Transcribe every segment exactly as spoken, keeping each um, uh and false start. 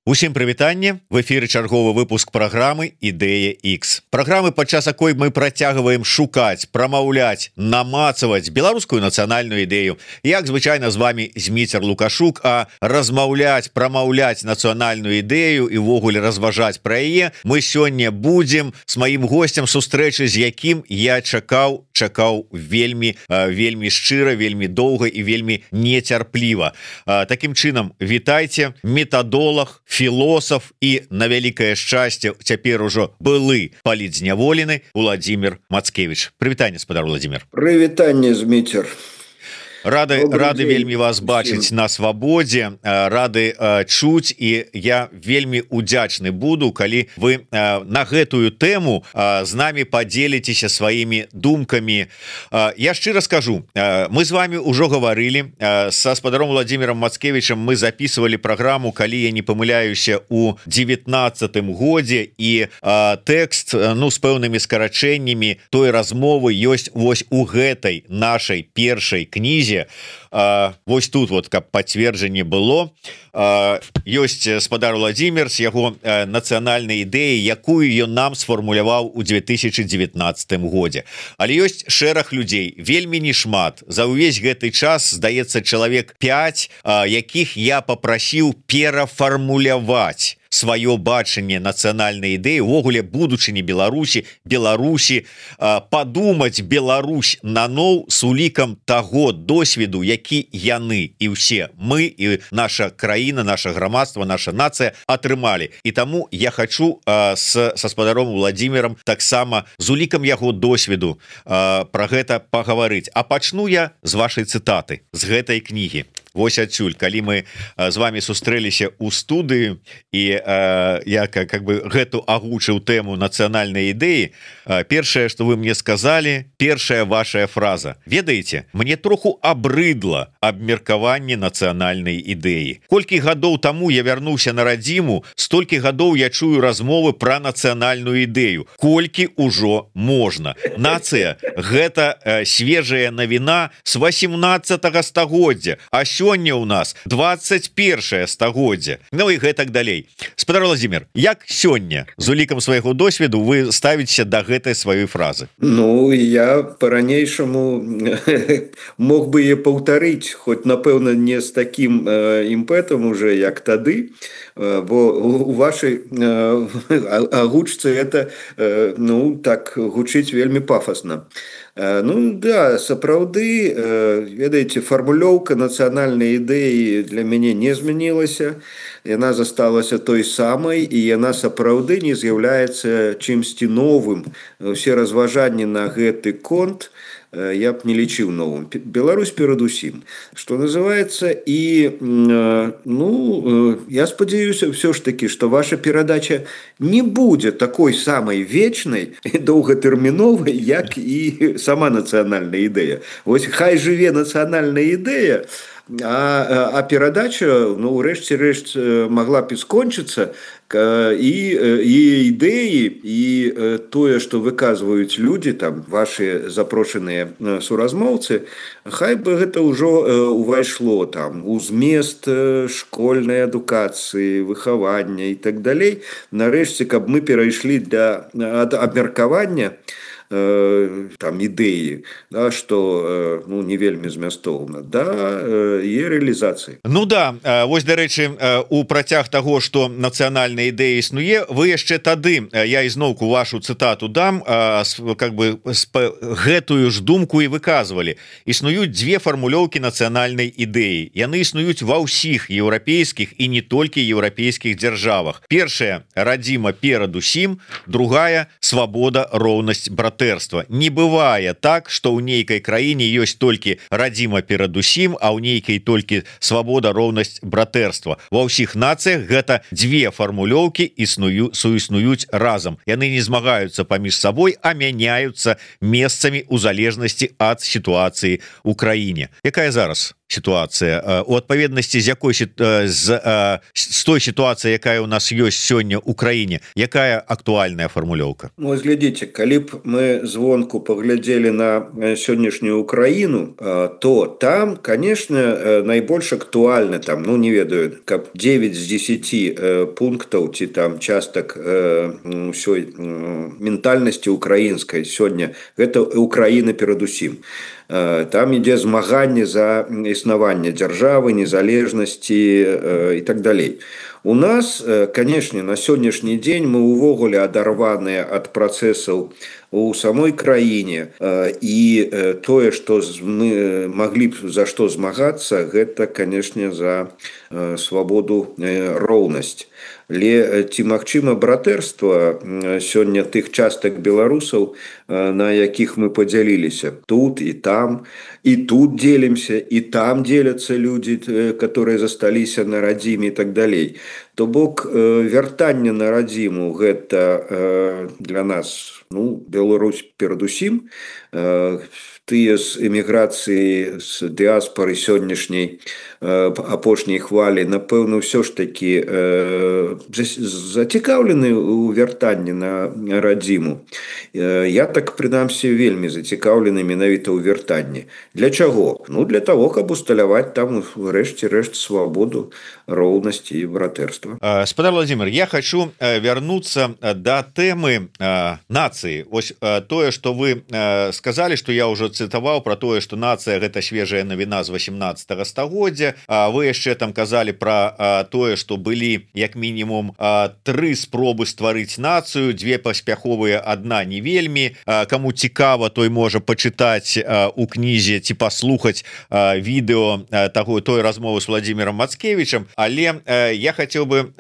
Усім прывітанне, в эфіры чарговы выпуск праграмы Ідэя X. Праграмы, падчас якой мы працягваем шукаць, прамаўляць, намацаваць беларускую нацыянальную ідэю. Як звычайна з вами Зміцер Лукашук, а размаўляць, прамаўляць нацыянальную ідэю і ўвогуле разважаць пра яе мы сёння будзем з маім госцем, сустрэчы з якім я чакаў, чакаў вельмі, вельмі шчыра, вельмі доўга і вельмі нецярпліва. Такім чынам, вітайце, метадолог, філосаф і на вялікае шчасце цяпер ужо былы палітзняволены Владимир Мацкевич. Прывітанне, спадар Владимир. Прывітанне, Зміцер. Рады, рады вельмі вас бачыць на свабодзе, рады э, чуць, і я вельмі удзячны буду, калі вы э, на гэтую тэму э, з намі падзеліцеся сваімі думкамі. Э, я шчыра скажу, э, мы з вами ўжо гаварылі э, са спадаром Владимиром Мацкевичем, мы записывалі праграму, калі я не памыляюся, у девятнаццатым годзе, і э, тэкст, ну, з пэўнымі скарачэннямі той размовы ёсць вось у гэтай нашай першай кнізе. А, вось тут вот, каб пацверджанне было, а, ёсць спадар Владимир з яго а, нацыянальнай ідэі, якую ён нам сфармуляваў у две тысячи девятнаццатым годзе. Але ёсць шэраг людзей, вельмі не шмат. За ўвесь гэты час, здаецца, чалавек пяць, а, якіх я папрасіў перафармуляваць сваё бачанне нацыянальнай ідэі, увогуле будучыні Беларусі, Беларусі, падумаць Беларусь наноў з улікам таго досведу, які яны і ўсе мы, і наша краіна, наша грамадства, наша нацыя атрымалі. І таму я хачу с, са спадаром Владимиром таксама з улікам яго досведу пра гэта пагаварыць. А пачну я з вашай цытаты, з гэтай кнігі. Вось адсюль, калі мы з вами сустрэліся ў студыю, і э, я как, как бы гэту агучыў тэму нацыянальнай ідэі, э, першае, што вы мне сказалі, першая вашая фраза: ведаеце, мне троху абрыдла абмеркаванне нацыянальнай ідэі. Колькі гадоў таму я вярнуўся на радзіму, столькі гадоў я чую размовы пра нацыянальную ідэю. Колькі ўжо можна? Нацыя — гэта э, свежая навіна з васемнаццатага стагоддзя, а сёння у нас двадцать першае стагоддзе. Ну і гэтак далей. Спадар Владимир, як сёння з улікам свайго досведу вы ставіцеся да гэтай сваёй фразы? Ну, я по-ранейшаму мог бы е паўтарыць, хоць, напэўна, не з такім э, імпэтам уже, як тады, э, бо у вашай э, агучцы это, э, ну, так, гучыць вельмі пафасна. Ну да, сапраўды, ведаеце, фармулёўка нацыянальнай ідэі для мяне не змянілася, яна засталася той самай, і яна сапраўды не з'яўляецца чымсьці новым. Усе разважанні на гэты конт я б не лічыў новым. Беларусь перадусім, што называецца, і ну, я спадзяюся ўсё ж такі, што ваша перадача не будзе такой самай вечнай і доўгатэрміновай, як і сама нацыянальная ідэя. Вось хай жыве нацыянальная ідэя, а, а перадача, ну, урэшце рэшт магла б і скончыцца, і, і ідэі, і тое, што выказваюць людзі, там, ваши запрошаныя суразмоўцы, хай бы гэта ўжо увайшло там у змест школьнай адукацыі, выхавання і так далей. Нарэшце, каб мы перайшлі да абмеркавання там ідэі, да, што, ну, не вельмі змястоўна, да, і рэалізацыі. Ну да, вось, дарэчы, у працяг таго, што нацыянальная ідэя існуе, вы яшчэ тады, я ізноўку вашу цытату дам, как бы гэтую ж думку і выказвалі. Існуюць дзве фармулёўкі нацыянальнай ідэі. Яны існуюць ва ўсіх еўрапейскіх і не толькі еўрапейскіх дзяржавах. Першая — радзіма перадусім, другая — свабода, роўнасць, брат. Не бывае так, што ў нейкай краіне ёсць толькі радзіма перадусім, а ў нейкай толькі свабода, роўнасць, братэрства. Ва ўсіх нацыях гэта дзве фармулёўкі існую, суіснуюць разам. Яны не змагаюцца паміж сабой, а мяняюцца месцамі ў залежнасці ад сітуацыі ў краіне. Якая зараз сітуацыя у адпаведнасці з якой з, з той сітуацыі, якая у нас ёсць сёння ў краіне, якая актуальная фармулёўка? Ну, глядзіце, калі б мы звонку паглядзелі на сённяшнюю Украіну, то там, конечно, найбольш актуальна, там, ну не ведаю, каб девять з десяти пунктаў ці там частак ўсёй ментальнасці украінскай сёння гэта Украіна перадусім. Там ідзе змаганне за існаванне дзяржавы, незалежнасці і так далей. У нас, канешне, на сённяшні дзень мы ўвогуле адарваныя ад працэсаў у самой краіне, і тое, што мы маглі б за што змагацца, гэта, канешне, за свабоду, роўнасць. Але ці магчыма братэрства сёння тых частак беларусаў, на якіх мы падзяліліся тут і там, і тут дзелімся, і там дзеляцца людзі, которые засталіся на радзіме і так далей. То бок вяртанне на радзіму гэта для нас, ну, Беларусь перадусім, тыя з эміграцыі, з дыаспары сённяшняй апошняй хвалі, напэўна, ўсё ж такі зацікаўлены ў вяртанні на радзіму. Я так, прынамсі, вельмі зацікаўлены менавіта ў вяртанні. Для чаго? Ну, для того, каб усталяваць там, рэшце рэшт, свабоду, роўнасці і братэрства. Спадар Владимир, я хочу вярнуцца да тэмы нацыі. Ось тое, што вы сказалі, што я ўжо цытаваў пра тое, што нацыя гэта свежая навіна з восемнадцатага стагоддзя. Вы яшчэ там казалі пра тое, што былі як мінімум тры спробы стварыць нацыю, дзве паспяховыя, адна не вельмі. Каму цікава, той можа пачытаць у кнізе ці паслухаць відэо таго той размовы з Владимиром Мацкевичем. Але я хацеў бы,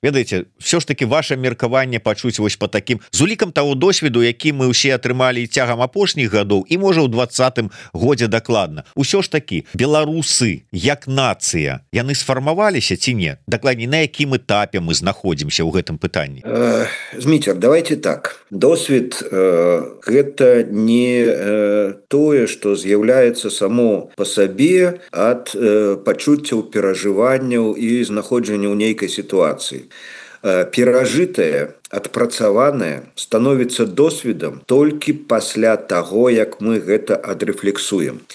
ведаеце, все ж таки ваше меркаванне пачуць вось па такім з улікам таго досведу, які мы ўсе атрымалі цягам апошніх гадоў і можа ў двадцатым годзе дакладна. Усё ж таки беларусы як нацыя, яны сфармаваліся ці не? Дакладней, на якім этапе мы знаходзімся ў гэтым пытанні? Э, Зміцер, давайте так. Досвед э, гэта не э, тое, што з'яўляецца само па сабе ад э, пачуццяў, перажыванняў і знаходжання ў нейкай сітуацыі. Э, перажытае, адпрацаванае становіцца досведам толькі пасля таго, як мы гэта адрэфлексуем.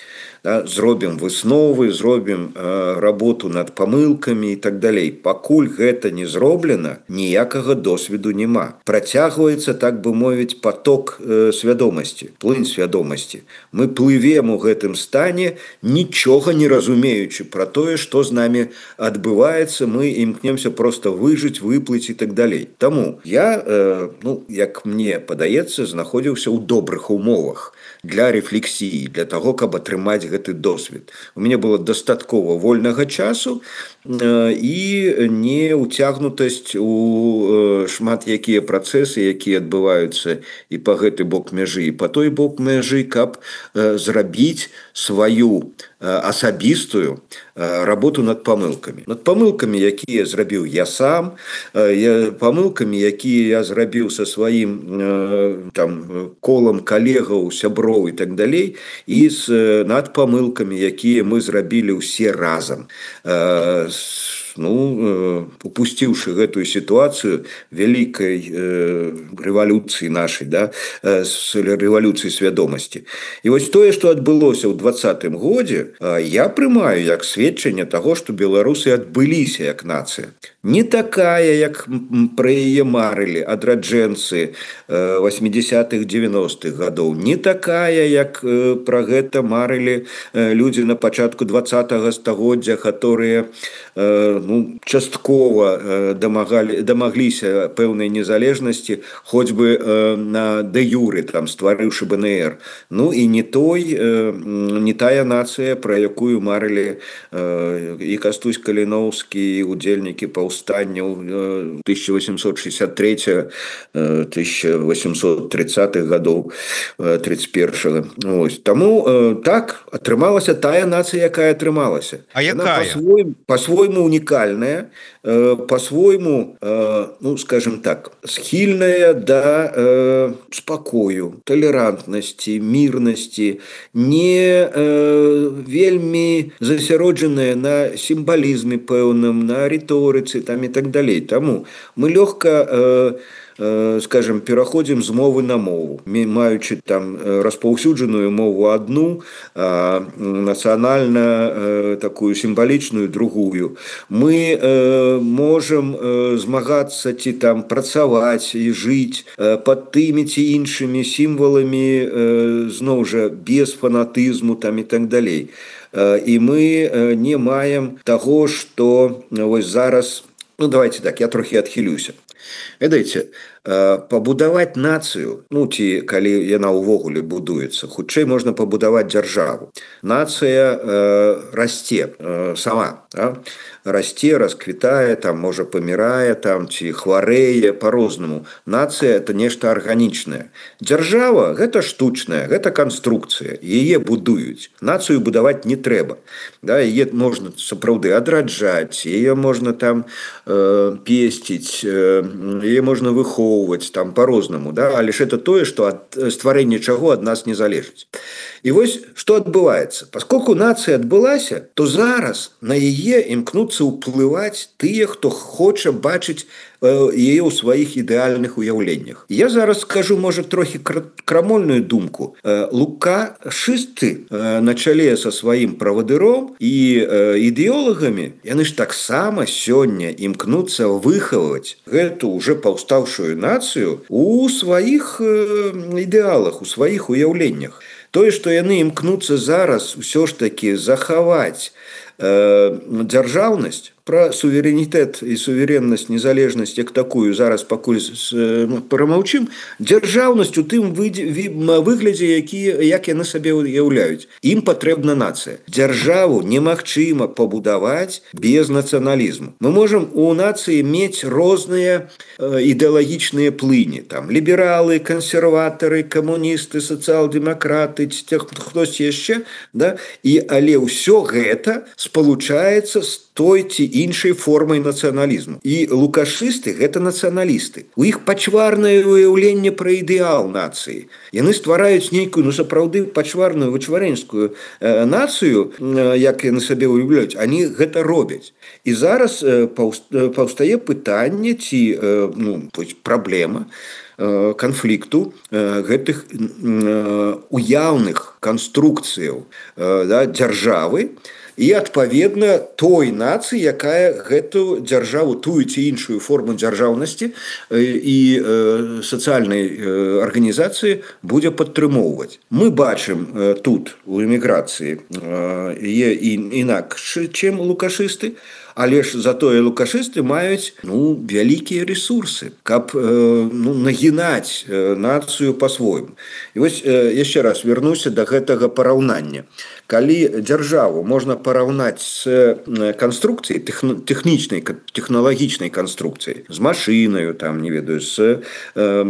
Да, зробім высновы, зробім э, работу над памылкамі і так далей. Пакуль гэта не зроблена, ніякага досведу няма. Працягваецца, так бы мовіць, поток э, свядомасці, плынь свядомасці. Мы плывем у гэтым стане, нічога не разумеючы пра тое, што з намі адбываецца, мы імкнемся проста выжыць, выплыць і так далей. Таму я, э, ну, як мне падаецца, знаходзіўся ў добрых умовах для рефлексіі, для таго, каб атрымаць гэты досвед. У мяне было дастаткова вольнага часу э, і не ўцягнутасць у э, шмат якія працэсы, якія адбываюцца і па гэты бок мяжы, і па той бок мяжы, каб э, зрабіць сваю э, асабістую э, работу над памылкамі. Над памылкамі, якія зрабіў я сам, э, я, памылкамі, якія я зрабіў са сваім э, там, колам калегаў, сяброў і так далей, і з, э, над памылкамі, якія мы зрабілі ўсе разам. Э, ну, упусціўшы гэтую сітуацыю вялікай э, рэвалюцыі нашай, да, э, рэвалюцыі свядомасці. І вось тое, што адбылося ў двадцатым годзе, э, я прымаю як сведчанне таго, што беларусы адбыліся як нацыя. Не такая, як пра яе марылі адраджэнцы восьмідзесятых дзевяностых гадоў, не такая, як э, пра гэта марылі э, людзі на пачатку двадцатага стагоддзя, которые э, ну, часткова э, дамагалі, дамагліся пэўнай незалежнасці, хоць бы э, на дэ-юры, там, стварыўшы бэ эн ер. Ну і не той, э, не тая нацыя, пра якую марылі э, і Кастусь Каліноўскі, і удзельнікі паўстанняў тысяча восемьсот шестьдесят третьего — тысяча восемьсот тридцатых гадоў тридцать первого. Ось. Таму э, так атрымалася тая нацыя, якая атрымалася. А якая? Па-свойму, па-свойму унікальная, э, по-свойму, э, ну, скажем так, схильная до э, спокою, толерантности, мирности, не э, вельми засяроджаная на символизме пэўным, на риторице там и так далее. Тому мы легко э, скажем, пераходзім з мовы на мову, маючы там распаўсюджаную мову одну, а нацыянальна такую сімвалічную другую. Мы можам змагацца ці там працаваць і жыць пад тымі ці іншымі сімваламі, зноў жа без фанатызму там і так далей. І мы не маем таго, што вось зараз, ну давайте так, я трохі адхілюся. Ведаеце, пабудаваць нацыю, ну ці калі яна ўвогуле будуецца, хутчэй можна пабудаваць дзяржаву. Нацыя э, расце э, сама, а? расце, расквітае, там можа памірае, там ці хварэе по-рознаму. Нацыя это нешта арганічнае. Дзяржава гэта штучная, гэта канструкцыя, яе будуюць. Нацыю будаваць не трэба. Да, яе можна сапраўды адраджаць, яе можна там э, песціць, э, яе можна выхоўваць там по-рознаму, да? Але ж это тое, што ад стварэння чаго ад нас не залежыць. І вось што адбываецца? Паскольку нацыя адбылася, то зараз на яе імкнуцца ўплываць тыя, хто хоча бачыць яе ў сваіх ідэальных уяўленнях. Я зараз скажу, можа, трохі крамольную думку. Лукашысты на чале са сваім правадыром і ідэолагамі, яны ж таксама сёння імкнуцца выхаваць гэту уже паўстаўшую нацыю у сваіх ідэалах, у сваіх уяўленнях. Тое, што яны імкнуцца зараз ўсё ж такі захаваць э, дзяржаўнасць, пра суверэнітэт і суверэннасць, незалежнасць як такую зараз пакуль прамаўчым, дзяржаўнасць у тым выглядзе, які, як яны сабе уяўляюць. Ім патрэбна нацыя. Дзяржаву немагчыма пабудаваць без нацыяналізму. Мы можам у нацыі мець розныя ідэалагічныя плыні. Там лібералы, кансерватары, камуністы, сацыял-дэмакраты, хтось яшчэ, да? І, але ўсё гэта спалучаецца з той ці іншай формай нацыяналізму. І лукашысты гэта нацыяналісты. У іх пачварнае уяўленне пра ідэал нацыі. Яны ствараюць нейкую, ну сапраўды пачварную вычварэнскую э, нацыю, э, як яны сабе уяўляюць, они гэта робяць. І зараз э, паўстае пытанне ці э, ну, праблема э, канфлікту э, гэтых э, уяўных канструкцыяў э, да, дзяржавы, і адпаведна той нацыі, якая гэту дзяржаву, тую ці іншую форму дзяржаўнасці і сацыяльнай арганізацыі будзе падтрымоўваць. Мы бачым тут у эміграцыі інакш, чым лукашысты, але ж затое лукашысты маюць ну, вялікія ресурсы, каб ну, нагінаць нацыю па-свойму. І вось яшчэ раз вернуся да гэтага параўнання. Калі дзяржаву можна параўнаць з канструкцыяй, тэхнічнай, тэхналагічнай канструкцыяй, з машынаю, там, не ведаю, з э,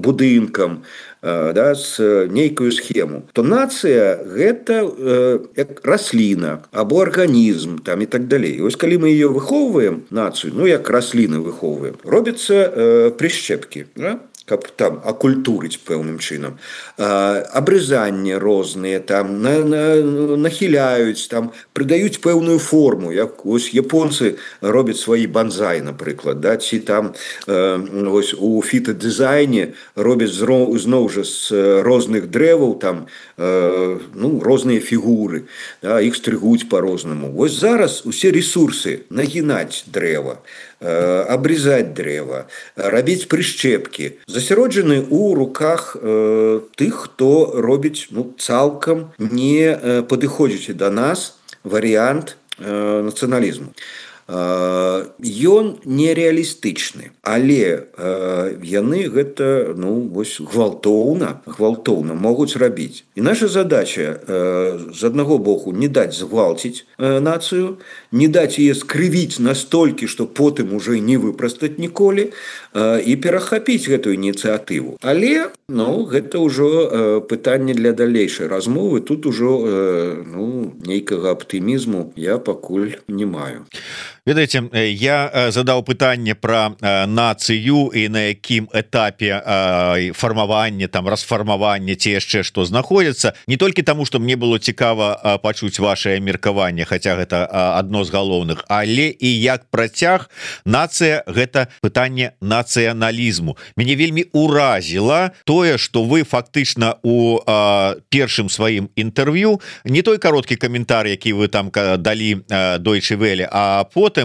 будынкам, э, да, з нейкую схему, то нацыя гэта э, як расліна або арганізм там, і так далей. І вось калі мы ее выхоўваем, нацыю, ну як расліны выхоўваем, робяцца э, прышчэпкі, да? Каб там акультурыць пэўным чынам. Абрызанні розныя, там, на, на, нахіляюць, там, прыдаюць пэўную форму, як ось японцы робяць свае банзай, напрыклад, да? Ці там э, ось, у фітадызайне робяць зноў жа з розных дрэваў там, э, ну, розныя фігуры, да? Іх стрыгуць па-рознаму. Вось зараз усе ресурсы нагінаць дрэва, абрезать дрэва, рабіць прышчэпкі, засяроджаны ў руках э, тых, хто робіць ну, цалкам не э, падыходзячы да нас варыянт э, нацыяналізму. Ён нереалістычны, але э, яны гэта ну, вось, гвалтоўна, гвалтоўна могуць рабіць. І наша задача э, з аднаго боку не даць згвалціць э, нацыю, не даць яе скрывіць настолькі, што потым уже не выпрастаць ніколі, э, і перахапіць гэтую ініцыятыву. Але ну, гэта ўжо э, пытанне для далейшай размовы, тут ужо э, ну, нейкага аптымізму я пакуль не маю. Ведаеце, я задаў пытанне пра нацыю і на якім этапе фармавання, там расфармавання ці яшчэ што знаходзіцца, не толькі таму, што мне было цікава пачуць вашае меркаванне, хаця гэта адно з галоўных, але і як працяг нацыя гэта пытанне нацыяналізму. Мяне вельмі уразіла тое, што вы фактычна у першым сваім інтэрв'ю, не той кароткі каментар, які вы там далі Deutsche Welle, а потым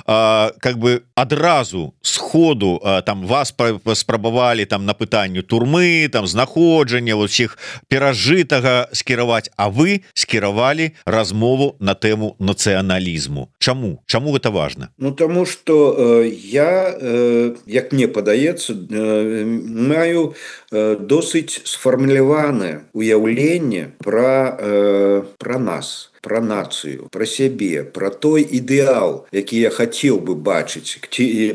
А, как бы адразу сходу а, там вас спрабавалі там на пытанню турмы, там знаходжання усіх перажытага скіраваць, а вы скіравалі размову на тэму нацыяналізму. Чаму? Чаму гэта важна? Ну тому что э, я, э, як мне падаецца, э, маю э, досыць сфармуляванае уяўленне пра, э, пра нас, про нацию, про сябе, про той ідэал, які я хацеў бы бачыць,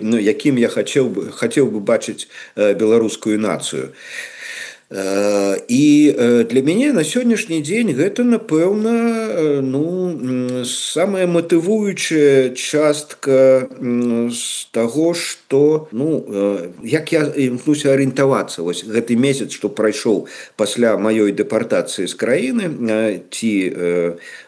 ну, якім я хацеў бы, хацеў бы бачыць э, беларускую нацыю. І для мяне на сённяшні дзень гэта, напэўна, ну, самая матывуючая частка з таго, што, ну, як я імкнуся арыентавацца. Вось гэты месяц, што прайшоў пасля маёй дэпартацыі з краіны, ці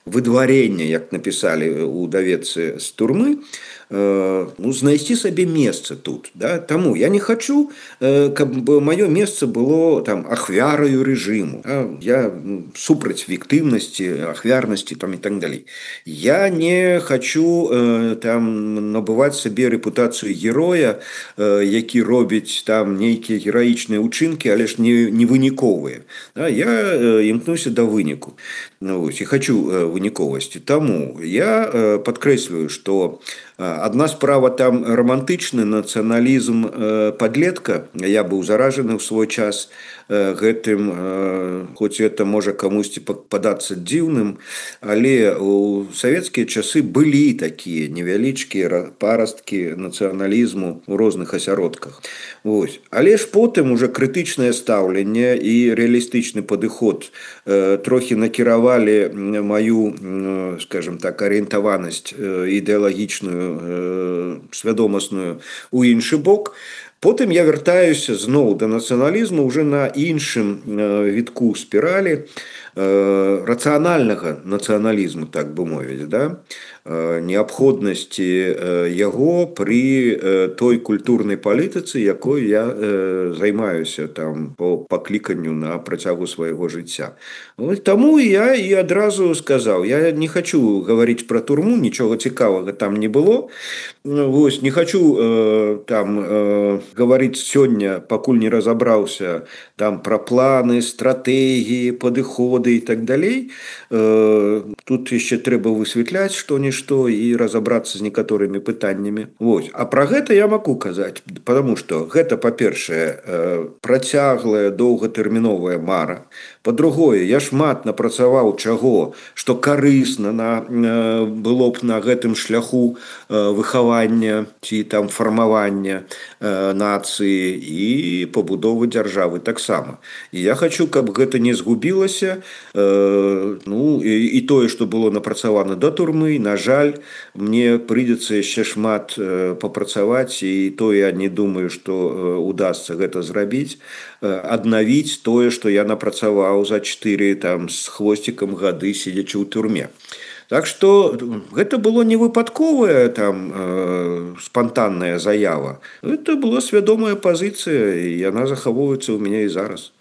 выдварення, як напісалі ў даведцы з турмы, ну, знайсці сабе месца тут, да? Таму я не хочу, каб маё месца было там ахвяраю рэжыму, да? Я супраць віктыўнасці, ахвярнасці там і так далей. Я не хочу там набываць сабе рэпутацыю героя, які робіць там нейкія гераічныя ўчынкі, але ж не, не выніковыя, да? Я імкнуся да выніку, ну, і хочу выніковасці. Таму я падкрэслюю, што адна справа там романтычны нацыяналізм падлетка. Я быў заражаны ў свой час гэтым, хоць это можа камусьці падацца дзіўным, але ў савецкія часы былі такія невялічкія парасткі нацыяналізму ў розных асяродках. Вось. Але ж потым уже крытычнае стаўленне і рэалістычны падыход трохі накіравалі маю, скажем так, арыентаванасць ідэалагічную, свядомасную у іншы бок. Потым я вяртаюся зноў да нацыяналізму уже на іншым вітку спіралі рацыянальнага нацыяналізму, так бы мовіць, да? Неабходнасці яго пры той культурнай палітыцы, якой я займаюся там по пакліканню на працягу свайго жыцця. Таму я і адразу сказаў, я не хочу гаварыць пра турму, нічога цікавага там не было. Вось, не хочу там гаварыць сёння, пакуль не разабраўся там пра планы, стратэгіі, падыходы і так далей. Тут яшчэ трэба высвятляць што-нішто і разобрацца з некаторымі пытаннямі. Вось. А пра гэта я магу казаць, потому што гэта, па-першае, працяглая доўгатэрміновая мара. Па-другое, я шмат напрацаваў чаго, што карысна на, было б на гэтым шляху выхавання ці там фармавання нацыі і пабудовы дзяржавы таксама. І я хочу, каб гэта не згубілася, ну, і, і тое, што было напрацавана да турмы, на жаль, мне прыйдзецца яшчэ шмат папрацаваць, і то я не думаю, што удасца гэта зрабіць, аднавіць тое, што я напрацаваў за чатыры там з хвосцікам гады, сидячы ў турме. Так што гэта было не выпадковая там э, спантанная заява. Это была свядомая пазіцыя, і яна захоўваецца ў мяне і зараз.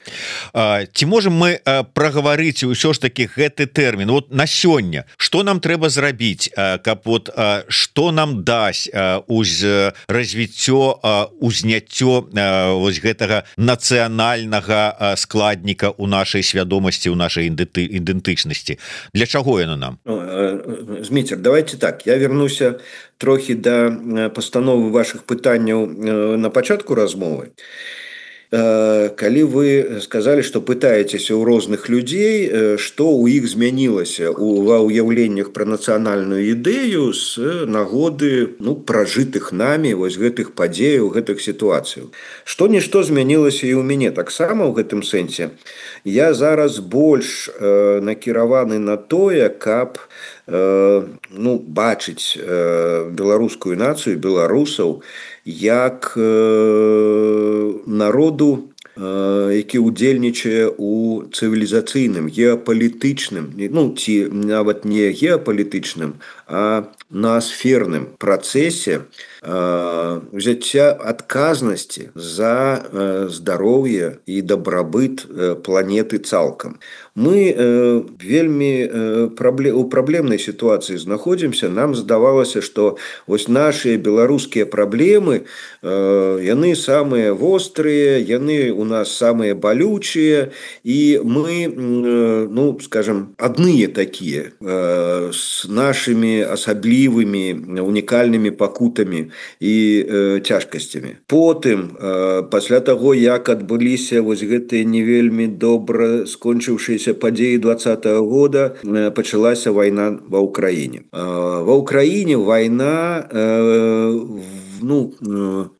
А, ці можем мы а, прагаварыць ўсё ж таки гэты тэрмін вот на сёння, што нам трэба зрабіць, а, каб вот а, што нам дасць а, уз развіццё, а, узняццё а, вось гэтага нацыянальнага а, складніка ў нашай свядомасці, ў нашай ідэнтычнасці. Для чаго яно нам? Зміцер, давайте так, я вернуся трохі да пастановы вашых пытанняў на пачатку размовы. Калі вы сказалі, што пытаецеся ў розных людзей, што ў іх змянілася ва ўяўленнях пра нацыянальную ідэю з нагоды, ну, пражытых намі вось гэтых падзеяў, гэтых сітуацыяў. Што-нішто змянілася і ў мяне таксама ў гэтым сэнсе. Я зараз больш накіраваны на тое, каб ну бачыць беларускую нацыю, беларусаў як народу, які ўдзельнічае у цывілізацыйным геапалітычным, ну ці нават не геапалітычным, а ноасферным працэсе ўзяцця адказнасці за здароўе і дабрабыт планеты цалкам. Мы вельмі у праблемнай сітуацыі знаходзімся. Нам здавалася, што вось нашыя беларускія праблемы, яны самыя вострыя, яны у нас самыя балючыя, і мы, ну скажем, адныя такія з нашымі асаблівымі унікальнымі пакутамі і э, цяжкасцямі. Потым, э, пасля таго, як адбыліся вось гэтыя не вельмі добра скончыўшыеся падзеі двадцатага года, э, пачалася вайна ва ўкраіне. Э, ва ўкраіне вайна э, ну,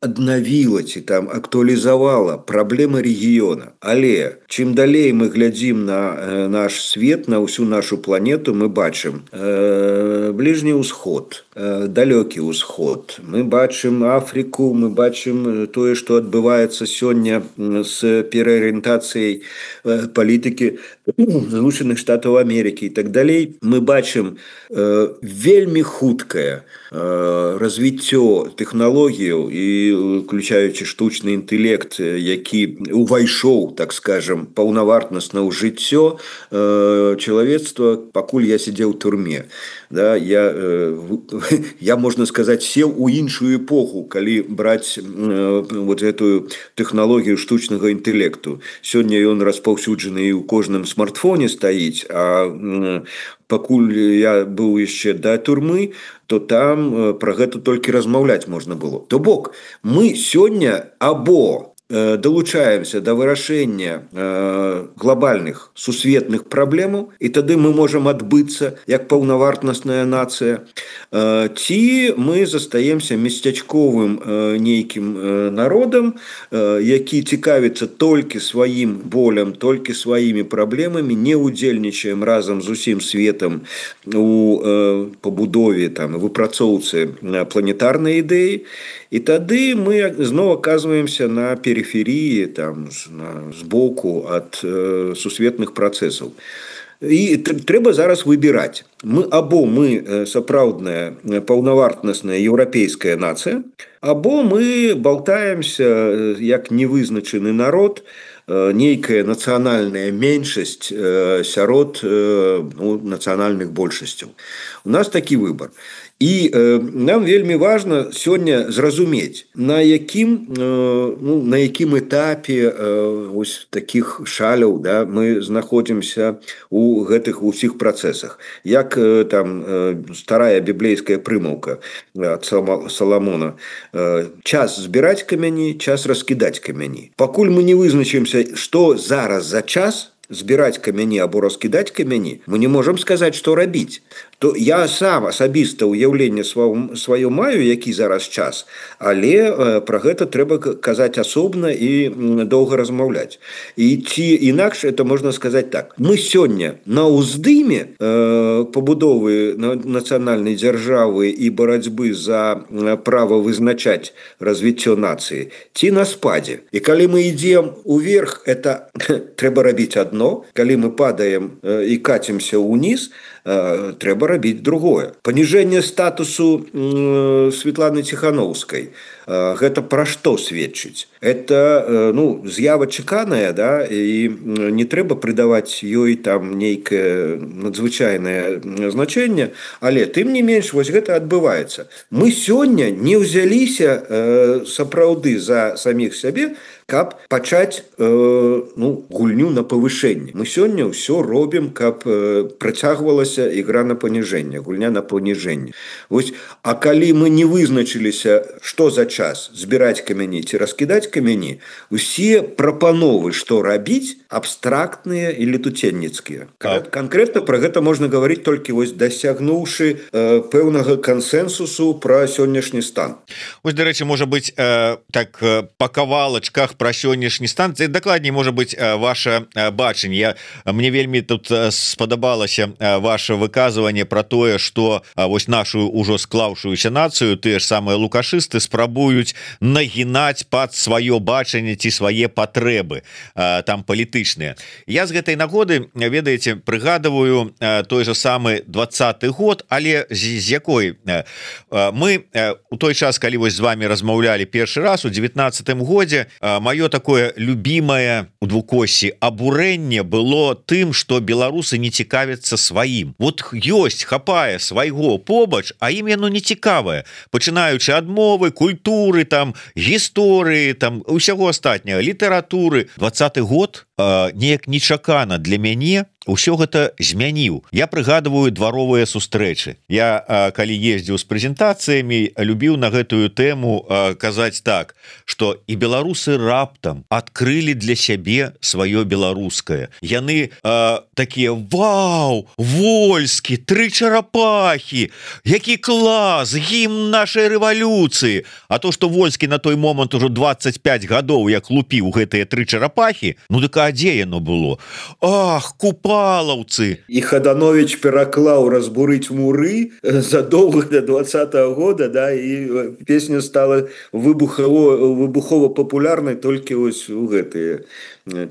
аднавіла ці там актуалізавала праблемы рэгіёна. Але чым далей мы глядзім на наш свет, на ўсю нашу планету, мы бачым э, бліжні ўсход, э, далёкі ўсход. Мы бачым Афрыку, мы бачым тое, што адбываецца сёння з пераарыентацыяй э, палітыкі Злучаных Штатаў Амерыкі і так далей. Мы бачым э, вельмі хуткае э, развіццё тэхналогіяў і уключаючы штучны інтэлект, які увайшоў, так скажем, паўнавартасна ў жыццё э, чалавецтва, пакуль я сидзеў у турме. Да, я, э, я, можна сказаць, сеў у іншую эпоху, калі браць э, вот эту тэхналогію штучнага інтэлекту. Сёння ён распаўсюджаны і ў кожным смартфоне стаіць, а э, пакуль я быў яшчэ да турмы, то там пра гэта толькі размаўляць можна было. То бок, мы сёння або далучаемся да вырашэння глобальных сусветных праблемаў, і тады мы можам адбыцца як паўнавартасная нацыя, ці мы застаемся месцячковым нейкім народам, які цікавіцца толькі сваім болем, толькі сваімі праблемамі, не ўдзельнічаем разам з усім светам у пабудове, там, выпрацоўцы планетарнай ідэі. І тады мы зноў аказваемся на периферии, там, сбоку от э, сусветных працэсаў. І трэба зараз выбіраць. Мы або мы сапраўдная паўнавартасная еўрапейская нацыя, або мы болтаемся як невызначаны народ, нейкая нацыянальная меншасць сярод ну, нацыянальных большасцяў. У нас такі выбар. І э, нам вельмі важна сёння зразумець, на якім, э, ну, на якім этапе э, ось такіх шаляў, да, мы знаходзімся у гэтых усіх працэсах. Як э, там э, старая біблейская прымаўка ад Саламона: э, час збіраць камяні, час раскідаць камяні. Пакуль мы не вызначымся, што зараз за час збіраць камяні або раскідаць камяні, мы не можам сказаць, што рабіць. То я сам асабіста ўяўленне сваё маю, які зараз час, але э, пра гэта трэба казаць асобна і доўга размаўляць. І ці інакш это можна сказаць так: мы сёння на ўздыме э, пабудовы нацыянальнай дзяржавы і барацьбы за права вызначаць развіццё нацыі, ці на спадзе. І калі мы ідзем уверх, это трэба рабіць адно, калі мы падаем э, і кацімся ўніз, трэба рабіць другое. Паніжэнне статусу э, Светланы Ціхановскай. Э, гэта пра што сведчыць? Это э, ну, з'ява чаканая, да, і не трэба прыдаваць ёй там нейкае надзвычайнае значэнне, але тым не менш вось гэта адбываецца. Мы сёння не ўзяліся э, сапраўды за саміх сябе, каб пачаць э, ну, гульню на павышэнне. Мы сёння ўсё робім, каб э, працягвалася ігра на паніжэнне, гульня на паніжэнне. Вось, а калі мы не вызначыліся, што за час збіраць камяні ці раскідаць камяні, усе прапановы, што рабіць, абстрактныя і летуценніцкія. Канкрэтна пра гэта можна гаварыць толькі вось дасягнуўшы э, пэўнага кансэнсусу пра сённяшні стан. Вось, дарэчы, можа быць, э, так па кавалачках словах про сённяшні стан, дакладней можа быть ваше бачанне. Я мне вельмі тут спадабалася ваше выказыванне про тое, что вось нашу ўжо склаўшуюся нацыю тыя ж самыя лукашысты спрабуюць нагінаць под сваё бачанне ці свае патрэбы там палітычныя. Я з гэтай нагоды, ведаеце, прыгадываю той же самы двадцаты год, але з, з якой мы у той час, калі вось з вами размаўлялі першы раз у девятнадцатым годзе, маё такое любимое у двукоссі абурэнне было тым, что беларусы не цікавяцца сваім. Вот ёсць, хапае свайго побач, а ім яно не цікавае, пачынаючы ад мовы, культуры, там гісторыі, там усяго астатняга, літаратуры. Двадцаты год э, неяк нечакана для мяне усё гэта змяніў. Я прыгадываю дваровыя сустрэчы. Я э, калі ездзіў з прэзентацыямі, любіў на гэтую тэму э, казаць так, што і беларусы раптам адкрылі для сябе сваё беларускае. Яны э, такія: вау, Вольскі, тры чарапахі, які клас, гімн нашай рэвалюцыі. А то, што Вольскі на той момант ужо двадцать пять гадоў як лупіў гэтыя тры чарапахі, ну дык а дзе яно было? Ах, купалаўцы. І Хаданович пераклаў разбурыць муры задоўга до двадцатого года, да, і песня стала выбухова выбухова папулярнай толькі вось у гэтыя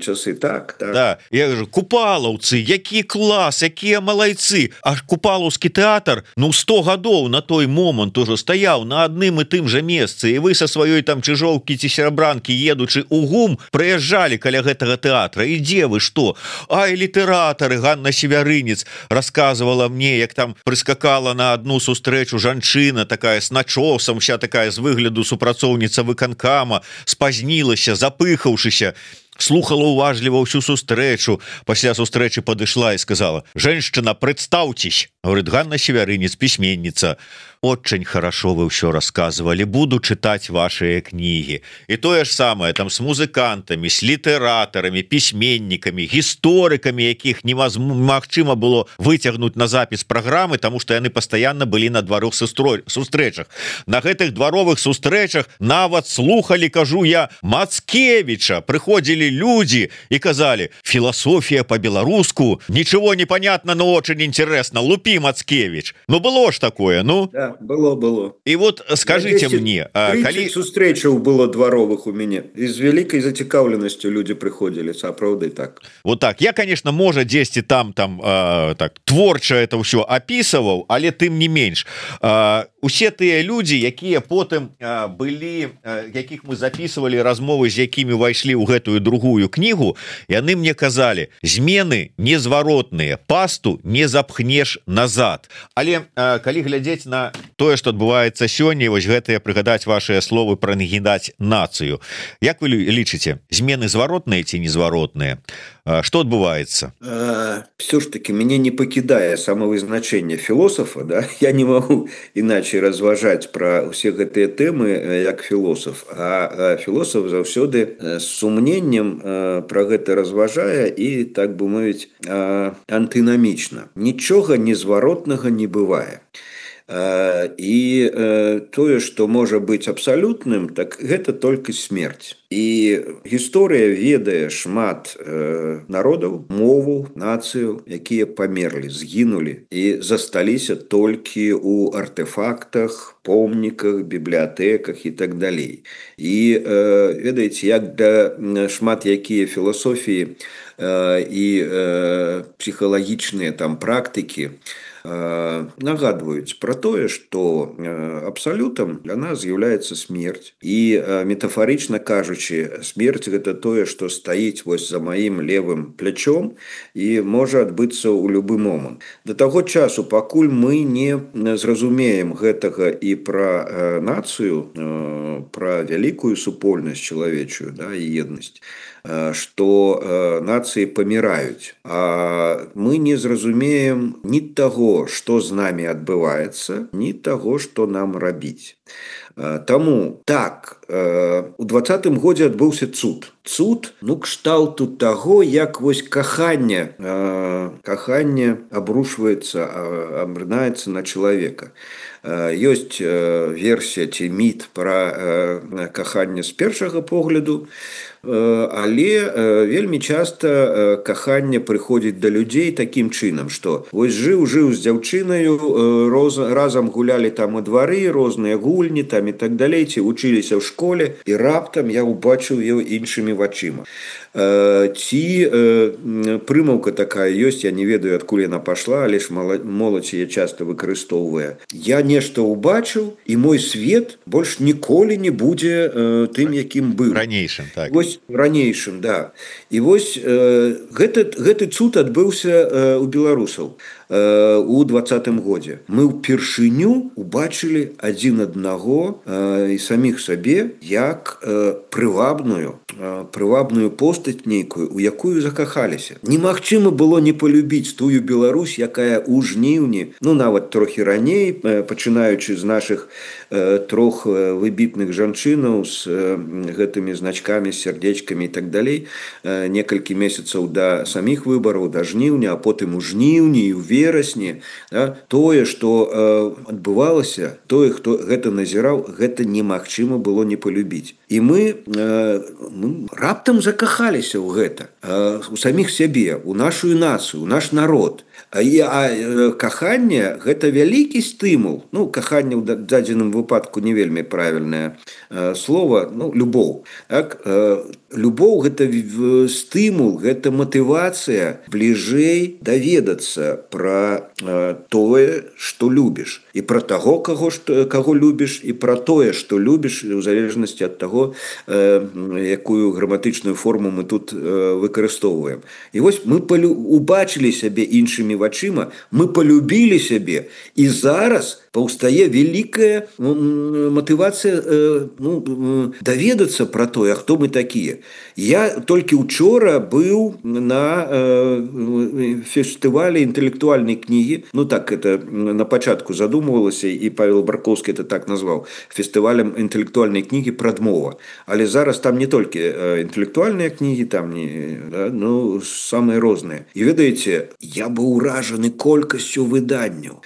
часы. Так, так. Да, я кажу, купалаўцы, які клас, якія малайцы. А купалаўскі тэатр, ну, сто гадоў на той момант ужо стаяў на адным і тым жа месцы, і вы са сваёй там чыжоўкі ці серабранкі, едучы ў ГУМ, прыязджалі каля гэтага тэатра. І дзе вы, што? Ай, літаратары, Ганна Севярынец расказвала мне, як там прыскакала на адну сустрэчу жанчына, такая с начосам, вся такая з выгляду супрацоўніца выканкама, спазнілася, запыхаўшыся, слухала уважліва ўсю сустрэчу, пасля сустрэчы падышла і сказала: «Женщина, представьтесь». Говорит: «Ганна Севярынец, письменница. Очень хорошо вы все рассказывали, буду читать ваши книги». И то же самое там с музыкантами, с литераторами, письменниками, историками, якіх немагчыма было выцягнуть на запись программы, потому что яны постоянно были на дваровых сустрэчах. На гэтых дваровых сустрэчах нават слухали, кажу я, Мацкевича. Приходили люди и казали: «Философия по-белоруску, ничего не понятно, но очень интересно, лупи, Мацкевич». Ну было ж такое, ну. Да, было, было. И вот скажите мне, калі сустрэчаў было дваровых у мяне, і з вялікай зацікаўленасцю люди приходили, сапраўды так. Вот так. Я, конечно, можа дзесьці там там э, так творча это ўсё опісываў, але тым не менш. Э, усе тыя люди, якія потым э, былі, э, якіх мы записывали размовы, з якімі увайшлі ў гэтую другую книгу, яны мне казалі: змены незваротныя, пасту не запхнеш назад. Але э, калі глядзець на тое, што адбываецца сёння, вось гэтыя прыгадаць вашыя словы пра нагінаць нацыю, як вы лічыце, змены зваротныя ці незваротныя? Что адбываецца? Все ж таки мяне не пакідае самавызначэнне філосафа, да? Я не магу іначай разважаць пра ўсе гэтыя тэмы як філосаф, а філосаф заўсёды з сумненнем пра гэта разважае і, так бы мовіць, антынамічна. Нічога незваротнага не бывае. І тое, што можа быць абсалютным, так гэта толькі смерць. І гісторыя ведае шмат народаў, моваў, нацыяў, якія памерлі, згінулі і засталіся толькі ў артэфактах, помніках, бібліятэках і так далей. І ведаеце, як да шмат якія філасофіі і псіхалагічныя там практыкі нагадваюць пра тое, што абсалютам для нас з'яўляецца смерць. І метафарычна кажучы, смерць гэта тое, што стаіць вось за маім левым плячом і можа адбыцца ў любы момант. Да таго часу, пакуль мы не зразумеем гэтага і пра нацыю, пра вялікую супольнасць чалавечую, да, і еднасць, што нацыі паміраюць, а мы не зразумеем ні таго, што з намі адбываецца, ні таго, што нам рабіць. Таму так, у двадцатым годзе адбыўся цуд цуд ну кшталту таго як вось каханне каханне абрушваецца абрынаецца на чалавека. Ёсць версія ці міт пра каханне з першага погляду, але вельмі часта каханне прыходзіць да людзей такім чынам, што вось жыў жыў з дзяўчынаю, разам гулялі там у двары, розныя гульні там і так далей, ці вучыліся ў школе, і раптам я ўбачыў яго іншымі вачыма. Ці прымаўка такая ёсць, я не ведаю, адкуль яна пашла, але ж моладзь яе часта выкарыстоўвае. Я нешта ўбачыў, і мой свет больш ніколі не будзе тым, якім быў. Ранейшым, так. Вось ранейшым, да. І вось гэты, гэты цуд адбыўся у беларусаў у двадцатым годзе. Мы ўпершыню убачылі адзін аднаго і саміх сабе як прывабную, прывабную постаць нейкую, у якую закахаліся. Немагчыма было не полюбіць тую Беларусь, якая ў жніўні, ну нават трохі раней, пачынаючы з нашых трох выбітных жанчынаў з гэтымі значкамі, сярдзечкамі і так далей, некалькі месяцаў да саміх выбараў, да жніўня, а потым у жніўні і ў верасні, да, тое, што адбывалася, тое, хто гэта назіраў, гэта немагчыма было не полюбіць. І мы, мы раптам закахаліся ў гэта, у саміх сябе, у нашу нацыю, у наш народ. А, а каханне гэта вялікі стымул. Ну, каханне ў дадзеным выпадку не вельмі правільнае слово, ну, любоў. Так? Любоў гэта стымул, гэта матывацыя бліжэй даведацца пра тое, што любіш. І пра таго, каго, каго любіш, і пра тое, што любіш, у залежнасці ад таго, якую граматычную форму мы тут выкарыстоўваем. І вось мы убачылі сябе іншымі вачыма, мы полюбілі сябе, і зараз паўстае вялікая матывацыя ну, даведацца пра тое, хто мы такія. Я толькі учора быў на фестывалі інтэлектуальнай кнігі, ну так это на пачатку задумывалася, і Павел Барковскі это так назваў, фестывалем інтэлектуальнай кнігі «Прадмова». Але зараз там не толькі інтэлектуальныя кнігі, там не, да, ну, самыя розныя. І ведаеце, я быў уражаны колькасцю выданняў,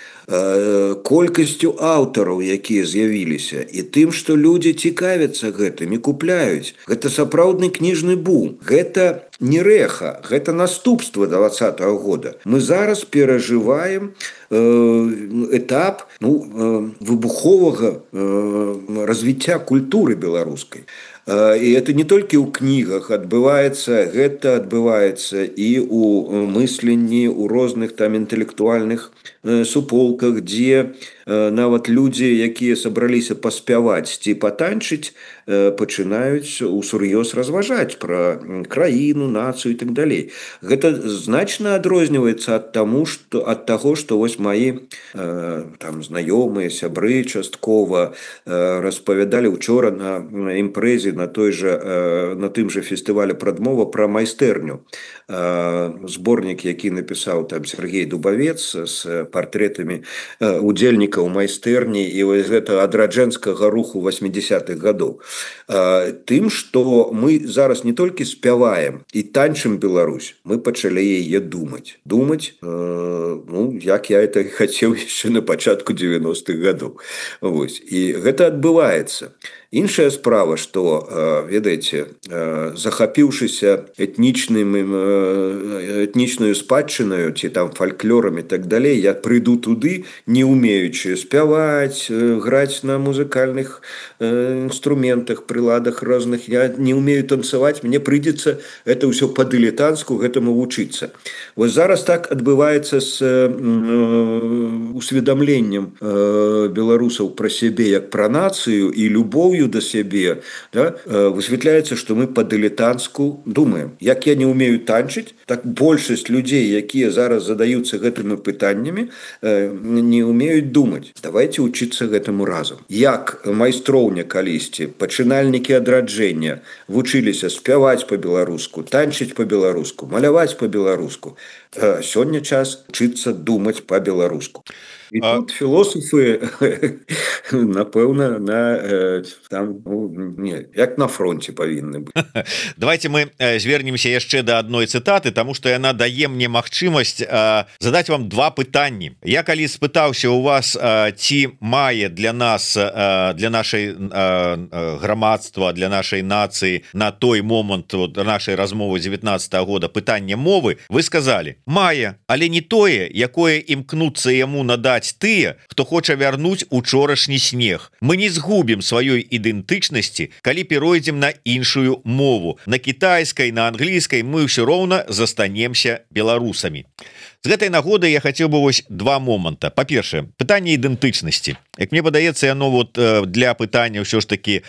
колькасцю аўтараў, якія з'явіліся, і тым, што людзі цікавяцца гэтым і купляюць. Гэта сапраўдны кніжны бум. Гэта не рэха, гэта наступства двадцатага года. Мы зараз перажываем этап ну, выбуховага развіцця культуры беларускай. І это не толькі ў кнігах адбываецца, гэта адбываецца і ў мысленні, у розных там інтэлектуальных суполках, дзе нават людзі, якія сабраліся паспяваць ці патанчыць, пачынаюць усур'ёз разважаць пра краіну, нацыю і так далей. Гэта значна адрозніваецца ад таму, што ад таго, што вось маі там знаёмыя, сябры часткова распавядалі учора на імпрэзе на той же на тым же фестывалі «Прадмова» пра майстэрню. Зборнік, які напісаў там Сергей Дубавец з партрэтамі удзельнікаў майстэрні і вось гэта адраджэнскага руху восьмідзесятых гадоў. Тым, што мы зараз не толькі спяваем і танчым Беларусь, мы пачалі яе думаць. Думаць, ну, як я это хацеў яшчэ на пачатку дзевяностых гадоў. Вось. І гэта адбываецца. Іншая справа, што, ведаеце, захапіўшыся этнічным, этнічнаю спадчынаю, ці там фальклорам і так далей, я прыйду туды, не умеючы спяваць, граць на музыкальных інструментах, прыладах розных, я не умею танцаваць, мне прыйдзецца это ўсё па-дылетанцку гэтаму вучыцца. Вось зараз так адбываецца з усведамленнем беларусаў пра сябе як пра нацыю і любоўю до сябе, да, высвятляецца, што мы па-дылетанцку думаем. Як я не умею танчыць, так большасць людзей, якія зараз задаюцца гэтымі пытаннямі, не умеюць думаць. Давайте учыцца гэтаму разам. Як майстроўня калісьці, пачынальнікі адраджэння вучыліся спяваць па-беларуску, танчыць па-беларуску, маляваць па-беларуску. Сёння час учыцца думаць па-беларуску. І а... тут філософы, напэўна, на там ну, не, як на фронте павінны быць. Давайте мы звернемся яшчэ да адной цытаты, тому что яна дае мне магчымасць задаць вам два пытанні. Я калі спытаўся у вас, ці мае для нас, для нашай грамадства, для нашай нацыі на той момант вот, нашай размовы девятнадцатого года пытанне мовы, вы сказали: мае, але не тое, якое імкнуцца яму надаць тыя, хто хоча вярнуць учорашні снег. Мы не згубім сваёй ідэнтычнасці, калі перайдзем на іншую мову. На кітайскай, на англійскай мы ўсё роўна застанемся беларусамі. З гэтай нагоды я хацеў бы вось два моманта. Па-першае, пытанне ідэнтычнасці. Як мне падаецца, яно вот для пытання ўсё ж таки